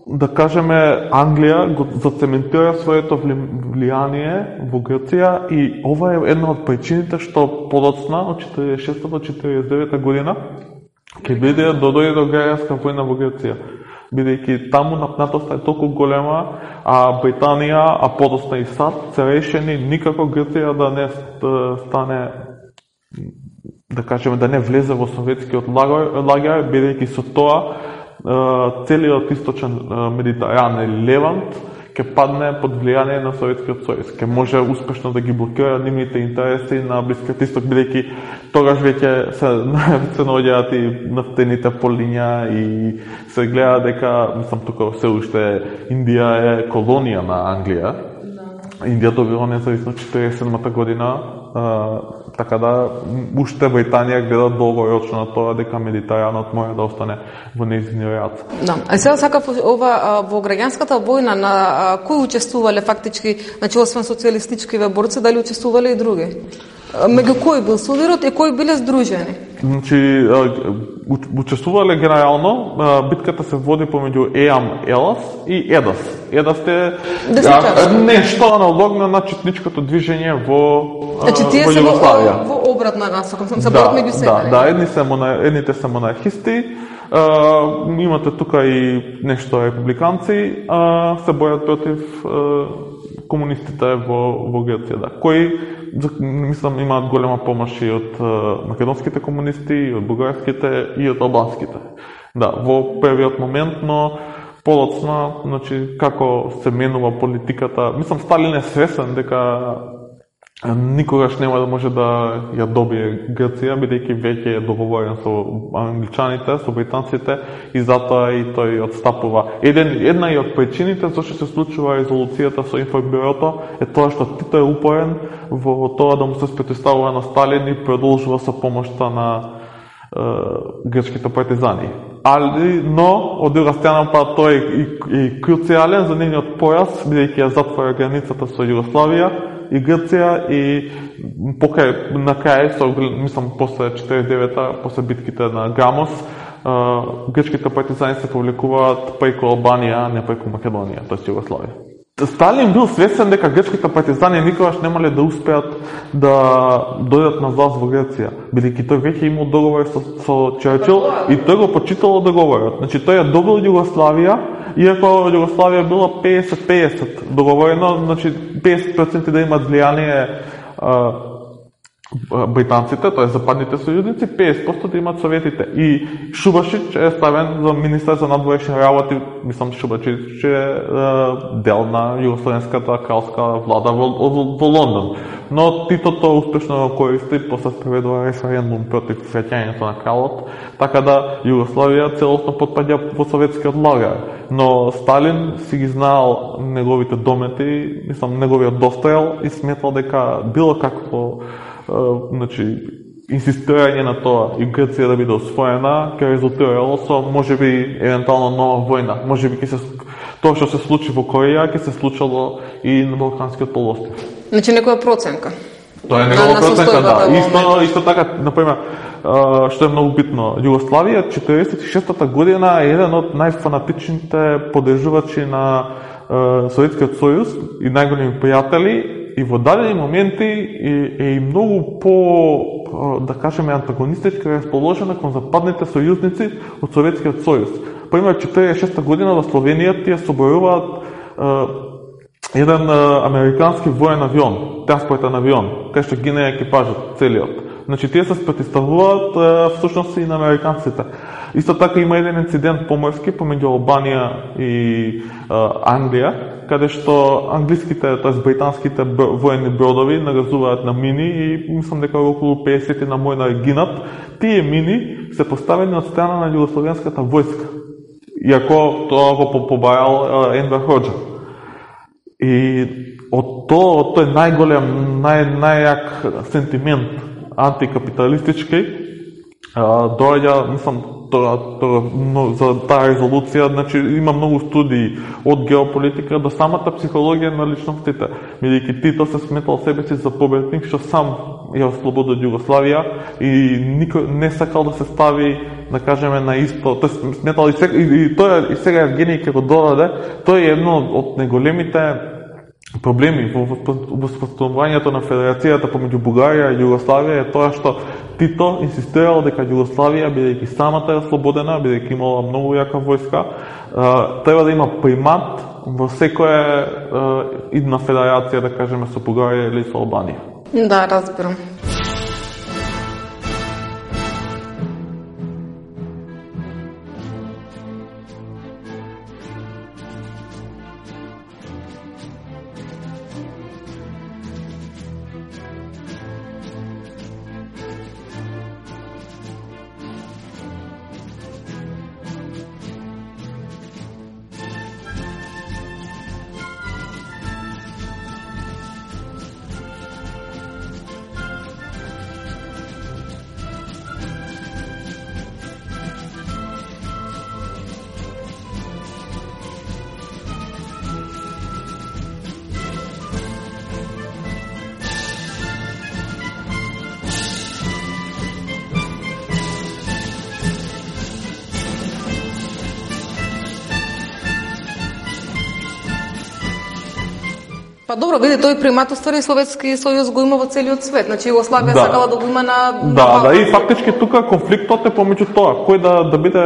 да кажеме, Англија го зацементира своето влијание во Грција и ова е една од причините што подоцна од четиридесет и шеста до четиридесет и девета година ќе биде да дојде до граѓанска војна во Грција. Бидејќи таму напнатоста е толку голема, а Британија, а подоцна и САД се решени никако Грција да не стане, да кажеме, да не влезе во советскиот лагер, бидејќи со тоа целиот источен Медитеран или Левант ќе падне под влијание на Советскиот сојуз. Ќе може успешно да ги блокира нивните интереси на Блискиот исток, бидејќи тогаш веќе се се наоѓаат и нафтените полиња и се гледа дека, мислам, тука се уште Индија е колонија на Англија. Индија добила независно четиридесет и седмата година, а, така да уште Британија гледа долгорочно на тоа дека Медитеранот мора да остане во нејзини рад. Да. А сега сакав ова во граѓанската војна на кои учествувале фактички, значи освен социјалистичкиве борци, дали учествувале и други? Меѓу кои бил судирот и кои биле здружени? Значи, учествувале генерално, битката се води помеѓу Еам Елас и Едас. Едас е нешто аналогно на четничкото движење во Значи, тие се во, во обратна насока, се борат меѓу себе. Да, да, едни се монар... едните се монархисти, Uh, имате тука и нешто републиканци, uh, се борат против uh, комунистите во, во Грција, да. Кои, мислам, имаат голема помош и од uh, македонските комунисти, и од бугарските, и од албанските. Да, во првиот момент, но подоцна, значи, како се менува политиката, мислам, Сталин е свесен дека никогаш нема да може да ја добие Грција, бидејќи веќе е договорен со англичаните, со британците и затоа и тој отстапува. Еден, една и од причините зашто се случува резолуцијата со информбирото е тоа што Тито е упорен во тоа да му се спротивставува на Сталин и продолжува со помошта на е, грчките партизани. Али, но, од друга страна, па тој е и, и круцијален за нивниот појас, бидејќи ја затвора границата со Југославија и Грција и покрај на крај, со, мислам, после четиридесет и девета, после битките на Грамос, грчките партизани се повлекуваат преку Албанија, а не преку Македонија, тоест Југославија. Сталин бил свесен дека грчките партизани никогаш немале да успеат да дојдат на власт во Грција, бидејќи тој веќе имал договор со, со Черчил и тој го почитало договорот. Значи тој ја добил Југославија, иако Југославија била песет песет договорено, значи песет проценти да имат влијание британците, тоа е западните сојузници, песет проценти да имат советите. И Шубашич е ставен за министар за надворешни работи, мислам Шубашич е дел на југословенската кралска влада во, во, во Лондон. Но Титото успешно го користи, после спроведува референдум против враќањето на кралот, така да Југославија целосно потпаѓа во советскиот лагер. Но Сталин си ги знаел неговите домети, мислам неговиот достојал и сметал дека било какво значи инсистирање на тоа и Грција да биде освоена ќе резултирало со можеби евентуално нова војна. Можеби ќе се тоа што се случи во Кореја ќе се случило и на Балканскиот полуостров. Значи некоја проценка. Тоа е некоја проценка, да. Исто исто така, например, што е многу битно, Југославија четириесет и шестата година е еден од најфанатичните поддржувачи на Советскиот сојуз и најголеми пријатели. И во дадени моменти е, е и многу по, да кажеме, антагонистички расположена кон западните сојузници од Советскиот сојуз. Пример, четириесет и шеста година во Словенија тие соборуваат е, еден е, американски воен авион, транспортен авион, кај што гине екипажот целиот. Значи, тие се спротивставуваат е, всушност и на американците. Исто така има еден инцидент поморски помеѓу Албанија и е, Англија, каде што англиските, т.е. британските воени бродови нагазуваат на мини и мислам дека околу песет на мојна гинат. Тие мини се поставени од страна на југословенската војска, иако тоа го побајал Енвер Хоџа. И од тоа, од тој најголем, нај, најјак сентимент антикапиталистички, доаѓа, мислам, тоа, тоа, за таа резолуција, значи има многу студии од геополитика до самата психологија на личностите. Бидејќи Тито се сметал себе си за победник што сам ја ослободи Југославија и никој не сакал да се стави, да кажеме, на исто. Тој сметал и, сега, и, и тоа и сега Евгений ќе го додаде, тоа е едно од најголемите проблеми во воспоставувањето на федерацијата помеѓу Бугарија и Југославија е тоа што Тито инсистирал дека Југославија, бидејќи самата е слободена, бидејќи имала многу јака војска, треба да има примат во секоја идна федерација, да кажеме, со Бугарија или со Албанија. Да, разбирам. Па добро, види, тој примат уствари Советски сојуз го има во целиот свет. Значи Југославија да. сакала да го има на, на Да, да, и фактички тука конфликтот е помеѓу тоа, кој да да биде,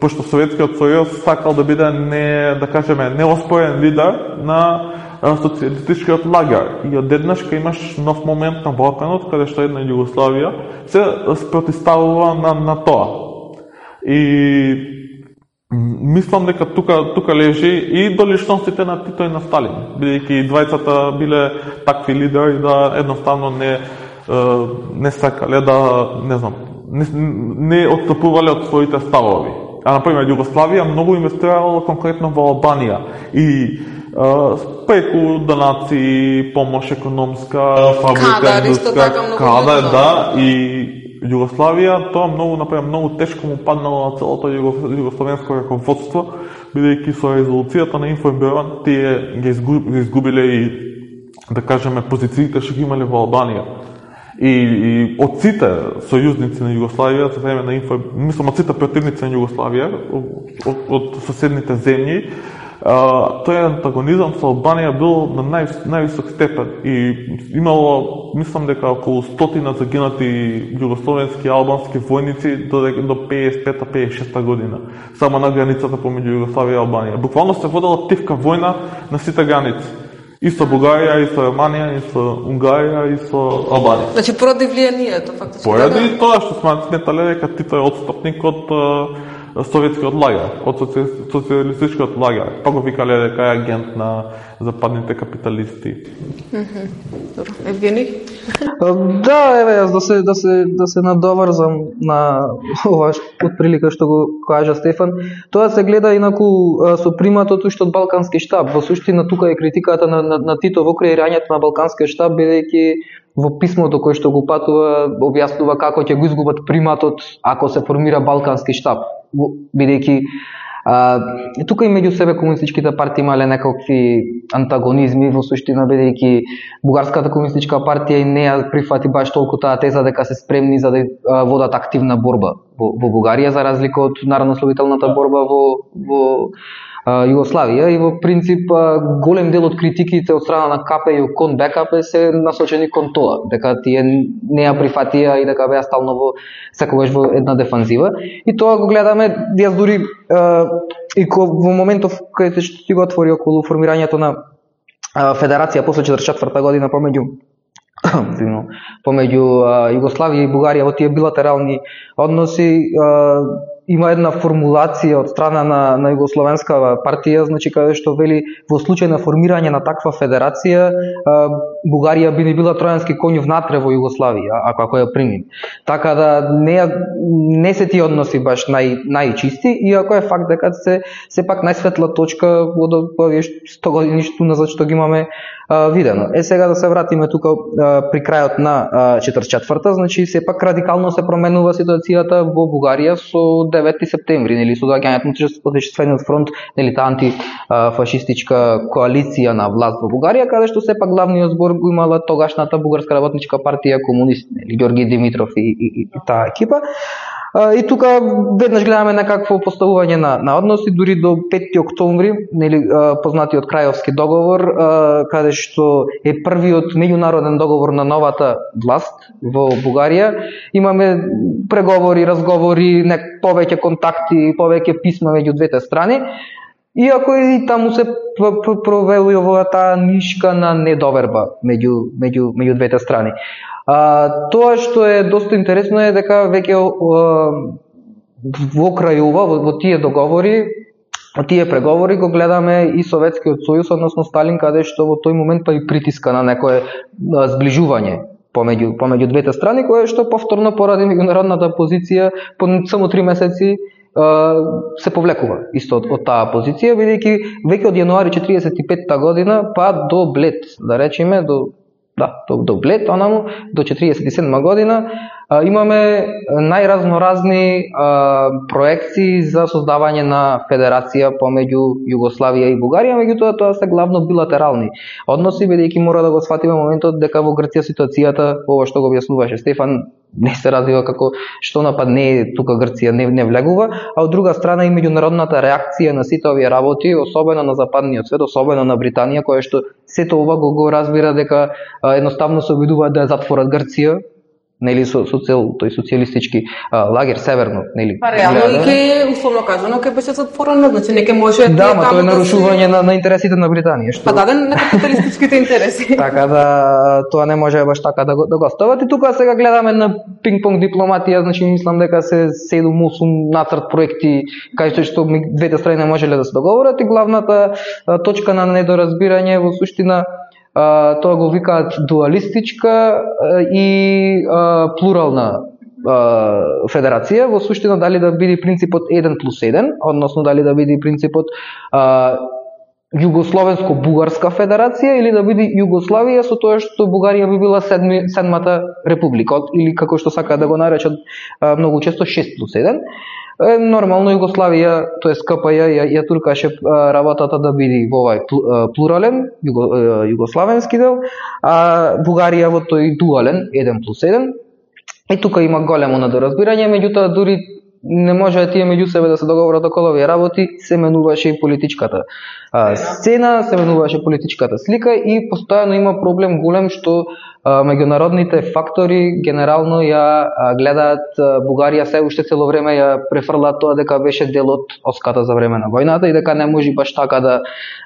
пошто Советскиот сојуз сакал да биде не, да кажеме, неоспорен лидер на социјалистичкиот лагер. И одеднаш кога имаш нов момент на Балканот, каде што една Југославија се спротивставува на на тоа. И мислам дека тука тука лежи и до личностите на Тито и на Сталин, бидејќи двајцата биле такви лидери да едноставно не не сакале да, не знам, не, не отстапувале од своите ставови. А например Југославија многу инвестирала конкретно во Албанија и преку донации, помош економска, фабрика, индустрија, кадар, да, и Југославија, тоа многу, например, многу тешко му паднало на целото југословенско раководство, бидејќи со резолуцијата на Информбюро тие ги изгубиле и, да кажеме, позициите што ги имале во Албанија. И, и од сите сојузници на Југославија за време на Инфо, мислам од сите противници на Југославија, од, од соседните земји, а, тој антагонизам со Албанија бил на нај, највисок степен и имало, мислам дека околу стотина загинати југословенски и албански војници до, до пеесет и пета пеесет и шеста година, само на границата помеѓу Југославија и Албанија. Буквално се водела тивка војна на сите граници. И со Бугарија, и со Романија, и со Унгарија, и со Албанија. Значи поради влијанието фактички. Поради тоа што сметале дека Тито е отстапник од советскиот лагер, од социјалистичкиот лагер. Па го викале дека е агент на западните капиталисти. Мхм. Добро. Евгений? Да, еве јас да се да се да се надоврзам на ова отприлика што го кажа Стефан. Тоа се гледа инаку со приматот уште од Балкански штаб. Во суштина тука е критиката на, на, на Тито во креирањето на Балканскиот штаб, бидејќи во писмото кој што го патува објаснува како ќе го изгубат приматот ако се формира Балкански штаб, бидејќи А, тука и меѓу себе комунистичките партии имале некакви антагонизми во суштина, бидејќи Бугарската комунистичка партија и не ја прифати баш толку таа теза дека се спремни за да а, водат активна борба во, во Бугарија, за разлика од народнословителната борба во, во а, Југославија. И во принцип а, голем дел од критиките од страна на КП и кон БКП се насочени кон тоа, дека тие не ја прифатија и дека беа стално во секогаш во една дефанзива. И тоа го гледаме, јас дури а, и ко, во моментов кај што ти го отвори околу формирањето на а, федерација после четиридесет и четврта година помеѓу помеѓу а, Југославија и Бугарија во тие билатерални односи, а, има една формулација од страна на, на Југословенска партија, значи каде што вели во случај на формирање на таква федерација, а, Бугарија би не била тројански коњ внатре во Југославија, ако ако ја прими. Така да не не се тие односи баш нај најчисти, иако е факт дека се сепак најсветла точка од овие сто години што назад што ги имаме а, видено. Е сега да се вратиме тука а, при крајот на а, четиридесет и четврта, значи сепак радикално се променува ситуацијата во Бугарија со девети септември, нели, со доаѓањето на Отечествениот фронт, нели, таа антифашистичка коалиција на власт во Бугарија, каде што сепак главниот збор го имала тогашната Бугарска работничка партија комунисти, нели, Ѓорги Димитров и, и, и, и таа екипа. И тука веднаш гледаме некакво поставување на, на односи, дури до петти октомври, нели, познатиот Крајовски договор, каде што е првиот меѓународен договор на новата власт во Бугарија. Имаме преговори, разговори, нек повеќе контакти, повеќе писма меѓу двете страни. Иако и таму се провелува таа нишка на недоверба меѓу меѓу меѓу двете страни. А, тоа што е доста интересно е дека веќе во крај ова, во, во тие договори, во тие преговори го гледаме и Советскиот сојуз, односно Сталин, каде што во тој момент па и притиска на некое зближување помеѓу помеѓу двете страни, кое што повторно поради меѓународната позиција по само три месеци се повлекува исто од, од таа позиција, бидејќи веќе од јануари четиридесет и петта година па до Блед, да речеме, до да, до, до Блед, онаму, до четиридесет и седма година, а, имаме најразноразни а, проекции за создавање на федерација помеѓу Југославија и Бугарија, меѓутоа тоа се главно билатерални односи, бидејќи мора да го сфатиме моментот дека во Грција ситуацијата, ова што го објаснуваше Стефан, не се развива како што напад не тука Грција не, не влегува, а од друга страна и меѓународната реакција на сите овие работи, особено на западниот свет, особено на Британија, која што сето ова го, го разбира дека а, едноставно се обидуваат да ја затворат Грција, нели, со, со цел тој социјалистички а, лагер северно, нели. Па реално и ке условно кажано ке беше затворено, значи не ке може да, ма тоа е нарушување на, на интересите на Британија, што па даден на капиталистичките интереси. Така да тоа не може баш така да го да го остават. И тука сега гледаме на пинг-понг дипломатија, значи мислам дека се седум-осум нацрт проекти кај што двете страни не можеле да се договорат и главната а, точка на недоразбирање во суштина Uh, тоа го викаат дуалистичка uh, и uh, плурална uh, федерација, во суштина дали да биде принципот еден плюс еден, односно дали да биде принципот uh, Југословенско-бугарска федерација или да биде Југославија со тоа што Бугарија би била седми, седмата република, или како што сакаат да го наречат uh, многу често шест плюс еден. Нормално Југославија, тоест КПЈ ја, ја туркаше работата да биде во овај плурален, југо, југославенски дел, а Бугарија во тој дуален, еден плюс еден. И тука има големо недоразбирање, меѓутоа дури не може тие меѓу себе да се договорат околу овие работи, се менуваше и политичката а, сцена, се менуваше политичката слика и постојано има проблем голем што а, меѓународните фактори генерално ја а, гледаат а, Бугарија се уште цело време ја префрлаат тоа дека беше дел од оската за време на војната и дека не може баш така да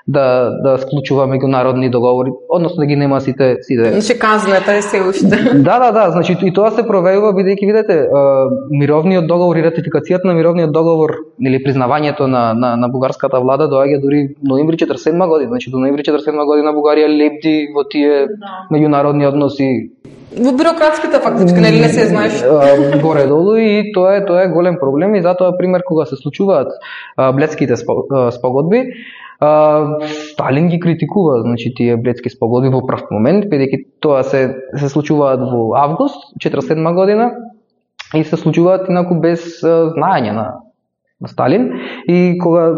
да да склучува меѓународни договори, односно да ги нема сите сите. Значи казната е се уште. Да, да, да, значи и тоа се провеува бидејќи видите, а, мировниот договор и ратификацијата на мировниот договор или признавањето на на на бугарската влада доаѓа дури ноември четиридесет и седма година, значи до ноември четиридесет и седма година Бугарија лепди во тие меѓународни односи. Во бюрократските фактички, нели не се знаеш? Горе долу и тоа е тоа е голем проблем и затоа пример кога се случуваат а, Бледските спогодби, а, Сталин ги критикува, значи тие Бледски спогодби во прв момент, бидејќи тоа се се случуваат во август четиридесет и седма година и се случуваат инаку без а, знаење на на Сталин и кога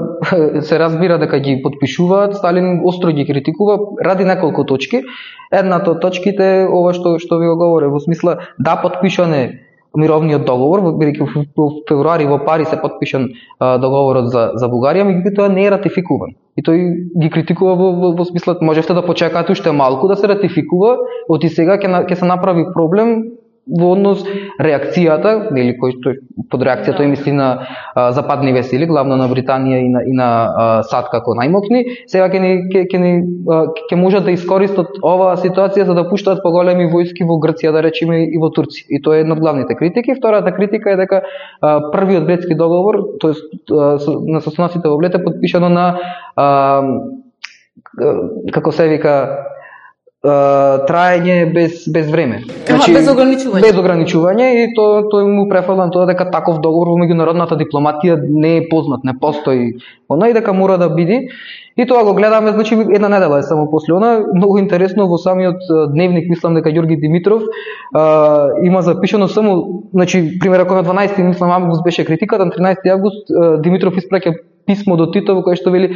се разбира дека ги потпишуваат, Сталин остро ги критикува ради неколку точки. Едната од точките е ова што што ви го говорев, во смисла да потпишане мировниот договор, бидејќи во февруари во Париз се потпишан а, договорот за за Бугарија, меѓутоа не е ратификуван. И тој ги критикува во, во, во смисла можевте да почекате уште малку да се ратификува, од и сега ќе ќе се направи проблем во однос реакцијата, или кој што под реакцијата тој мисли на а, западни сили, главно на Британија и на и на а, САД како најмокни, сега ќе ни ќе ќе ни ќе можат да искористат оваа ситуација за да пуштаат поголеми војски во Грција, да речеме, и во Турција. И тоа е една од главните критики. Втората критика е дека а, првиот Бледски договор, тоест на состаноците во Блед е потпишано на а, како се вика траење без без време. Значи, без ограничување. Без ограничување и тоа тој му префрлан тоа дека таков договор во меѓународната дипломатија не е познат, не постои. Она и дека мора да биде. И тоа го гледаме, значи една недела е само после она. Многу интересно во самиот дневник, мислам дека Ѓорги Димитров а, има запишано само, значи пример ако на дванаесети мислам август беше критиката, на тринаесети август а, Димитров испраќа писмо до Тито во кое што вели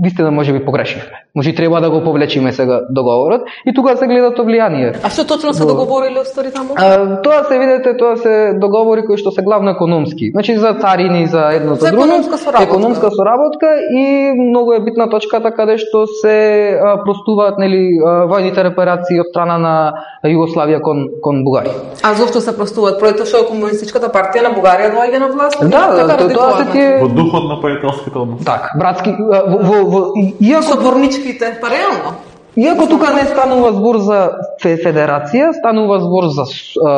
вистина може би погрешивме. Може треба да го повлечиме сега договорот и тука се гледа тоа влијание. А што точно се договориле устари таму? А, тоа се видите, тоа се договори кои што се главно економски. Значи за царини, за едно за друго, економска соработка. економска соработка и многу е битна точката каде што се а, простуваат нели војните репарации од страна на Југославија кон кон Бугарија. А зошто се простуваат? Поради тоа што комунистичката партија на Бугарија доаѓа на власт? Да, да, тоа, тоа се тие во духот на пријателските односи. Так, братски во, во, во иако соборничките, па реално. Иако тука не станува збор за федерација, станува збор за а,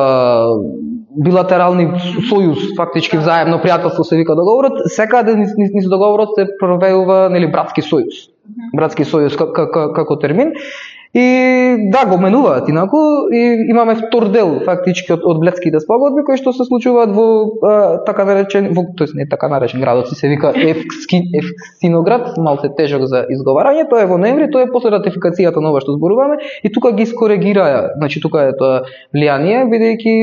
билатерални сојуз, фактички взаемно пријателство се вика договорот, секаде низ, низ договорот се провеува нели братски сојуз. Братски сојуз како термин. И да, го менуваат инаку и имаме втор дел фактички од, од Бледските спогодби кои што се случуваат во а, така наречен, во тоест не така наречен градот, се вика Евкски, Евксиноград, малку тежок за изговарање, тоа е во ноември, тоа е после ратификацијата на ова што зборуваме и тука ги скоригираја, значи тука е тоа влијание бидејќи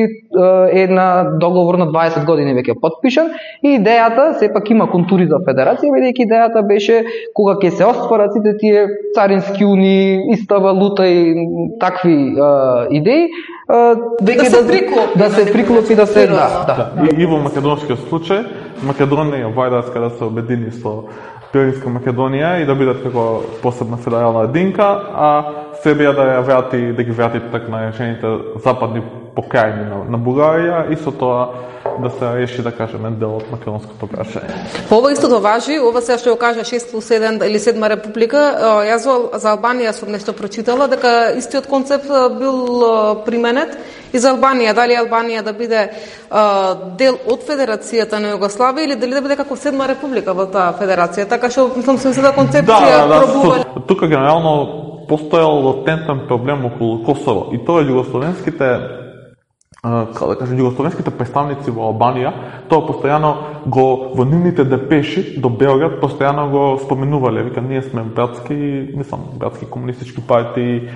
е една договор на дваесет години веќе потпишан и идејата сепак има контури за федерација бидејќи идејата беше кога ќе се остварат сите тие царински унии, иста валута и такви а, идеи, а, да се приклопи, да се приклопи, да се да, да. И, и во македонскиот случај, Македонија вајдаска да се обедини со Пиринска Македонија и да бидат како посебна федерална единка, а Србија да ја врати, да ги врати така наречените западни покрајни на, на Бугарија и со тоа да се реши, да кажеме, дел од македонското прашање. По ова истото важи, ова сега што го кажа шест плюс еден или седма република, јас за Албанија сум нешто прочитала дека истиот концепт бил применет и за Албанија, дали Албанија да биде а, дел од Федерацијата на Југославија или дали да биде како седма република во таа федерација, така што мислам се да концепција да, да, пробува. Тука генерално постоел латентен проблем околу Косово и тоа југословенските како да кажем, југословенските представници во Албанија, тоа постојано го во нивните депеши до Белград постојано го споменувале, вика ние сме братски, мислам, братски комунистички партии,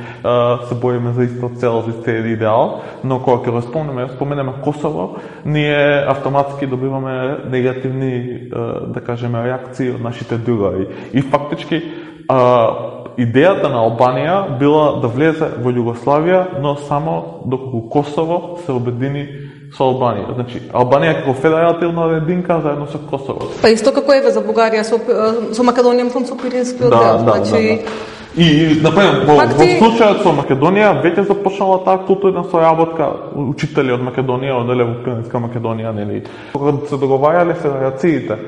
се бориме за иста цел, за иста идеал, но кога ќе го спомнеме, споменеме Косово, ние автоматски добиваме негативни, да кажеме, реакции од нашите другари. И фактички идејата на Албанија била да влезе во Југославија, но само доколку Косово се обедини со Албанија. Значи, Албанија како федеративна единка заедно со Косово. Па исто како еве за Бугарија со, со Македонија, мислам со Пиринскиот да, дел, да, значи... Да, да. И, например, во, во случајот со Македонија веќе започнала таа културна соработка, учители од Македонија, оделе во Пиринска Македонија, нели. Кога се договарале федерациите,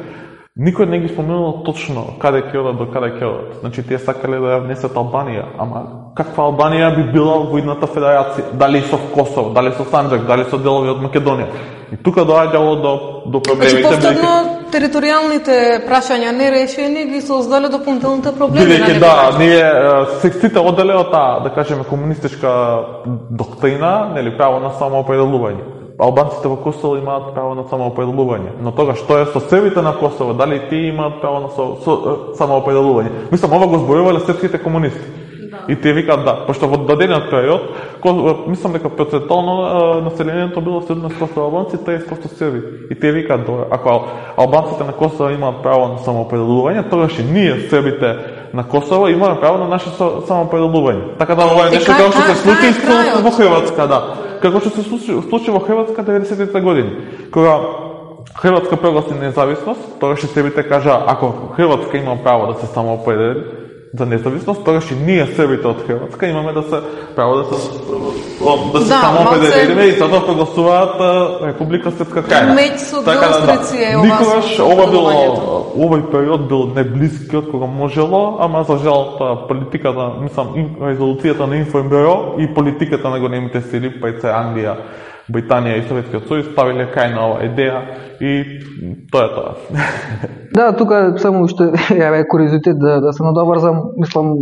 никој не ги спомнувал точно каде ќе одат до каде ќе одат. Значи тие сакале да ја внесат Албанија, ама каква Албанија би била во едната федерација? Дали со Косово, дали со Санџак, дали со делови од Македонија? И тука доаѓало до до проблемите. Значи повторно територијалните прашања нерешени ги создале дополнителните проблеми. Бидејќи да, ние сите оделе од таа, да кажеме, комунистичка доктрина, нели, право на самоопределување. Албанците во Косово имаат право на самоопределување. Но тога што е со Србите на Косово, дали тие имаат право на со, со, самоопределување? Мислам, ова го зборувале српските комунисти. Да. И тие викаат да, пошто во дадениот период, мислам дека процентално населението било седумдесет проценти албанци, триесет проценти срби. И тие викаат добро, ако албанците на Косово имаат право на самоопределување, тогаш и ние србите на Косово имаме право на наше самоопределување. Така да ова е нешто како што се случи во Хрватска, да. Како што се случи, случи во Хрватска деветдесетите години, кога Хрватска прогласи независност, тогаш и србите кажа, ако Хрватска има право да се самоопредели за независност, тогаш и ние србите од Хрватска имаме да се право да се да се да, самоопределиме и затоа прогласуваат Република Српска крајна. Така да, да. Никогаш ова било овој период бил неблискиот кога можело, ама за жал тоа политиката, мислам, резолуцијата на Информбюро и политиката на големите сили, па и Англија, Британија и Советскиот сојуз ставиле крај на оваа идеја и тоа е тоа. Да, тука само уште ја куриозитет да, да се надоврзам, мислам,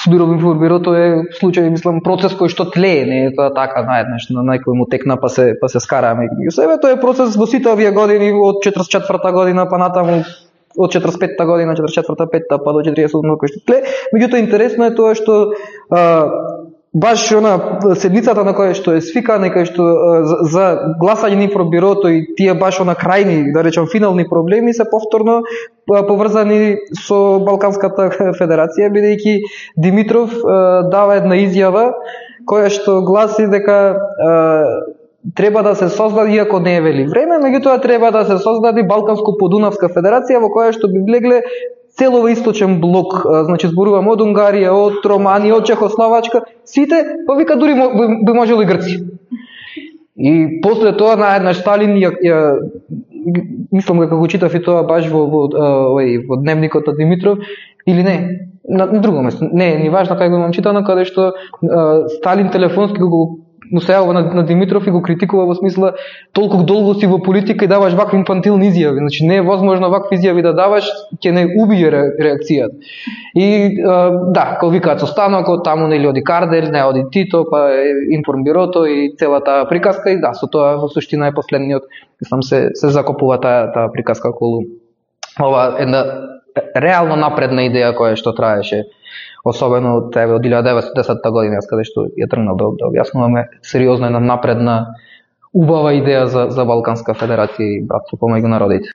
судиров информбирото е случај, мислам, процес кој што тлее, не е тоа така наеднаш на некој му текна па се па се скараме. И себе тоа е процес во сите овие години од четиридесет и четврта година па натаму од четиридесет и петта година, четиридесет и четврта, петта па до четиридесет и седма кој што тлее. Меѓутоа интересно е тоа што а, баш она седмицата на која што е свикана и која што за, за гласање на информбирото и тие баш она крајни, да речам, финални проблеми се повторно поврзани со Балканската федерација, бидејќи Димитров дава една изјава која што гласи дека треба да се создаде, иако не е вели време, меѓутоа треба да се создаде Балканско-подунавска федерација во која што би влегле целово источен блок, значи зборувам од Унгарија, од Романија, од Чехословачка, сите, па вика дури би можело и Грција. И после тоа наеднаш Сталин ја, ја мислам дека го читав и тоа баш во во, во, во дневникот на Димитров или не, на, на друго место. Не, ни важно кај го имам читано, каде што а, Сталин телефонски го му се јавува на, на Димитров и го критикува во смисла толку долго си во политика и даваш вакви инфантилни изјави. Значи не е возможно вакви изјави да даваш, ќе не убие ре, реакцијата. И а, да, како викаат со станокот, таму нели оди Кардель, не оди Тито, па информбирото и целата приказка и да, со тоа во суштина е последниот, мислам се се закопува таа таа приказка околу ова една реално напредна идеја која што траеше, особено од тебе од илјада деветстотини и десетта година, каде што ја тргнал да, да објаснуваме сериозна една напредна убава идеја за за Балканска федерација и братство помеѓу народите.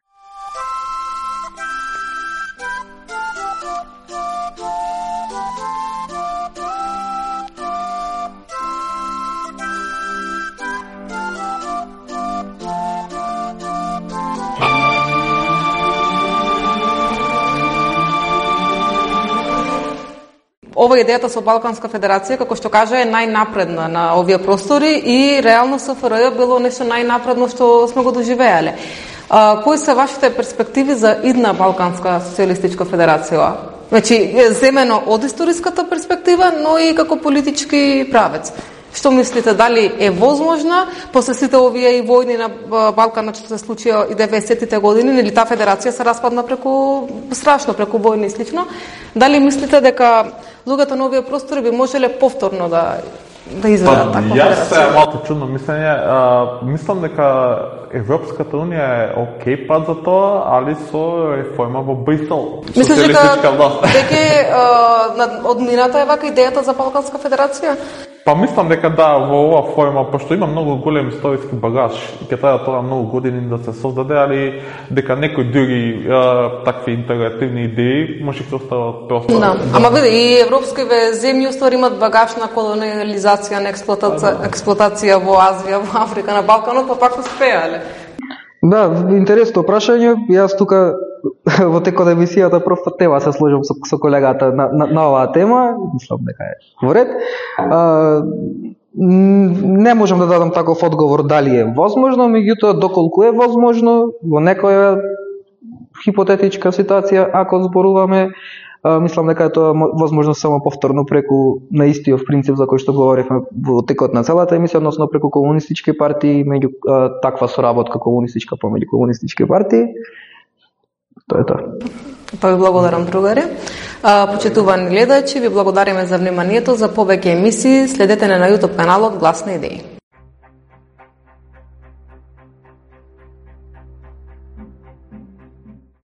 Ова идејата со Балканска федерација, како што кажа, е најнапредна на овие простори и реално СФРЈ било нешто најнапредно што сме го доживеале. А, кои се вашите перспективи за идна Балканска социјалистичка федерација? Значи, земено од историската перспектива, но и како политички правец. Што мислите, дали е возможна, после сите овие и војни на Балканот што се случија и деветдесеттите години, нели таа федерација се распадна преку страшно, преку војни и слично, дали мислите дека луѓето на овие простори би можеле повторно да да изведат таква федерација? Јас се малку чудно мислење, а, мислам дека Европската унија е окей пат за тоа, али со реформа во Брисел. Мислиш дека дека од мината е вака идејата за Балканска федерација? Па мислам дека да, во оваа форма, пошто има многу голем историски багаж и ќе треба тоа многу години да се создаде, али дека некои други а, такви интегративни идеи може да остават просто. Да, ама види, и европскиве земји уствари имат багаж на колониализација, на експлоатација, експлоатација во Азија, во Африка, на Балканот, па пак успеале. Да, интересно прашање. Јас тука во текот на емисијата прв пат тема се сложам со, со колегата на, на, на оваа тема, мислам дека е во ред. А, не можам да дадам таков одговор дали е возможно, меѓутоа доколку е возможно во некоја хипотетичка ситуација, ако зборуваме, а, мислам дека е тоа возможно само повторно преку на истиот принцип за кој што говоревме во текот на целата емисија, односно преку комунистички партии, меѓу а, таква соработка комунистичка помеѓу комунистички партии. Тоа е тоа. Па ви благодарам, другари. Почитувани гледачи, ви благодариме за вниманието. За повеќе емисии следете на YouTube каналот Гласни идеи.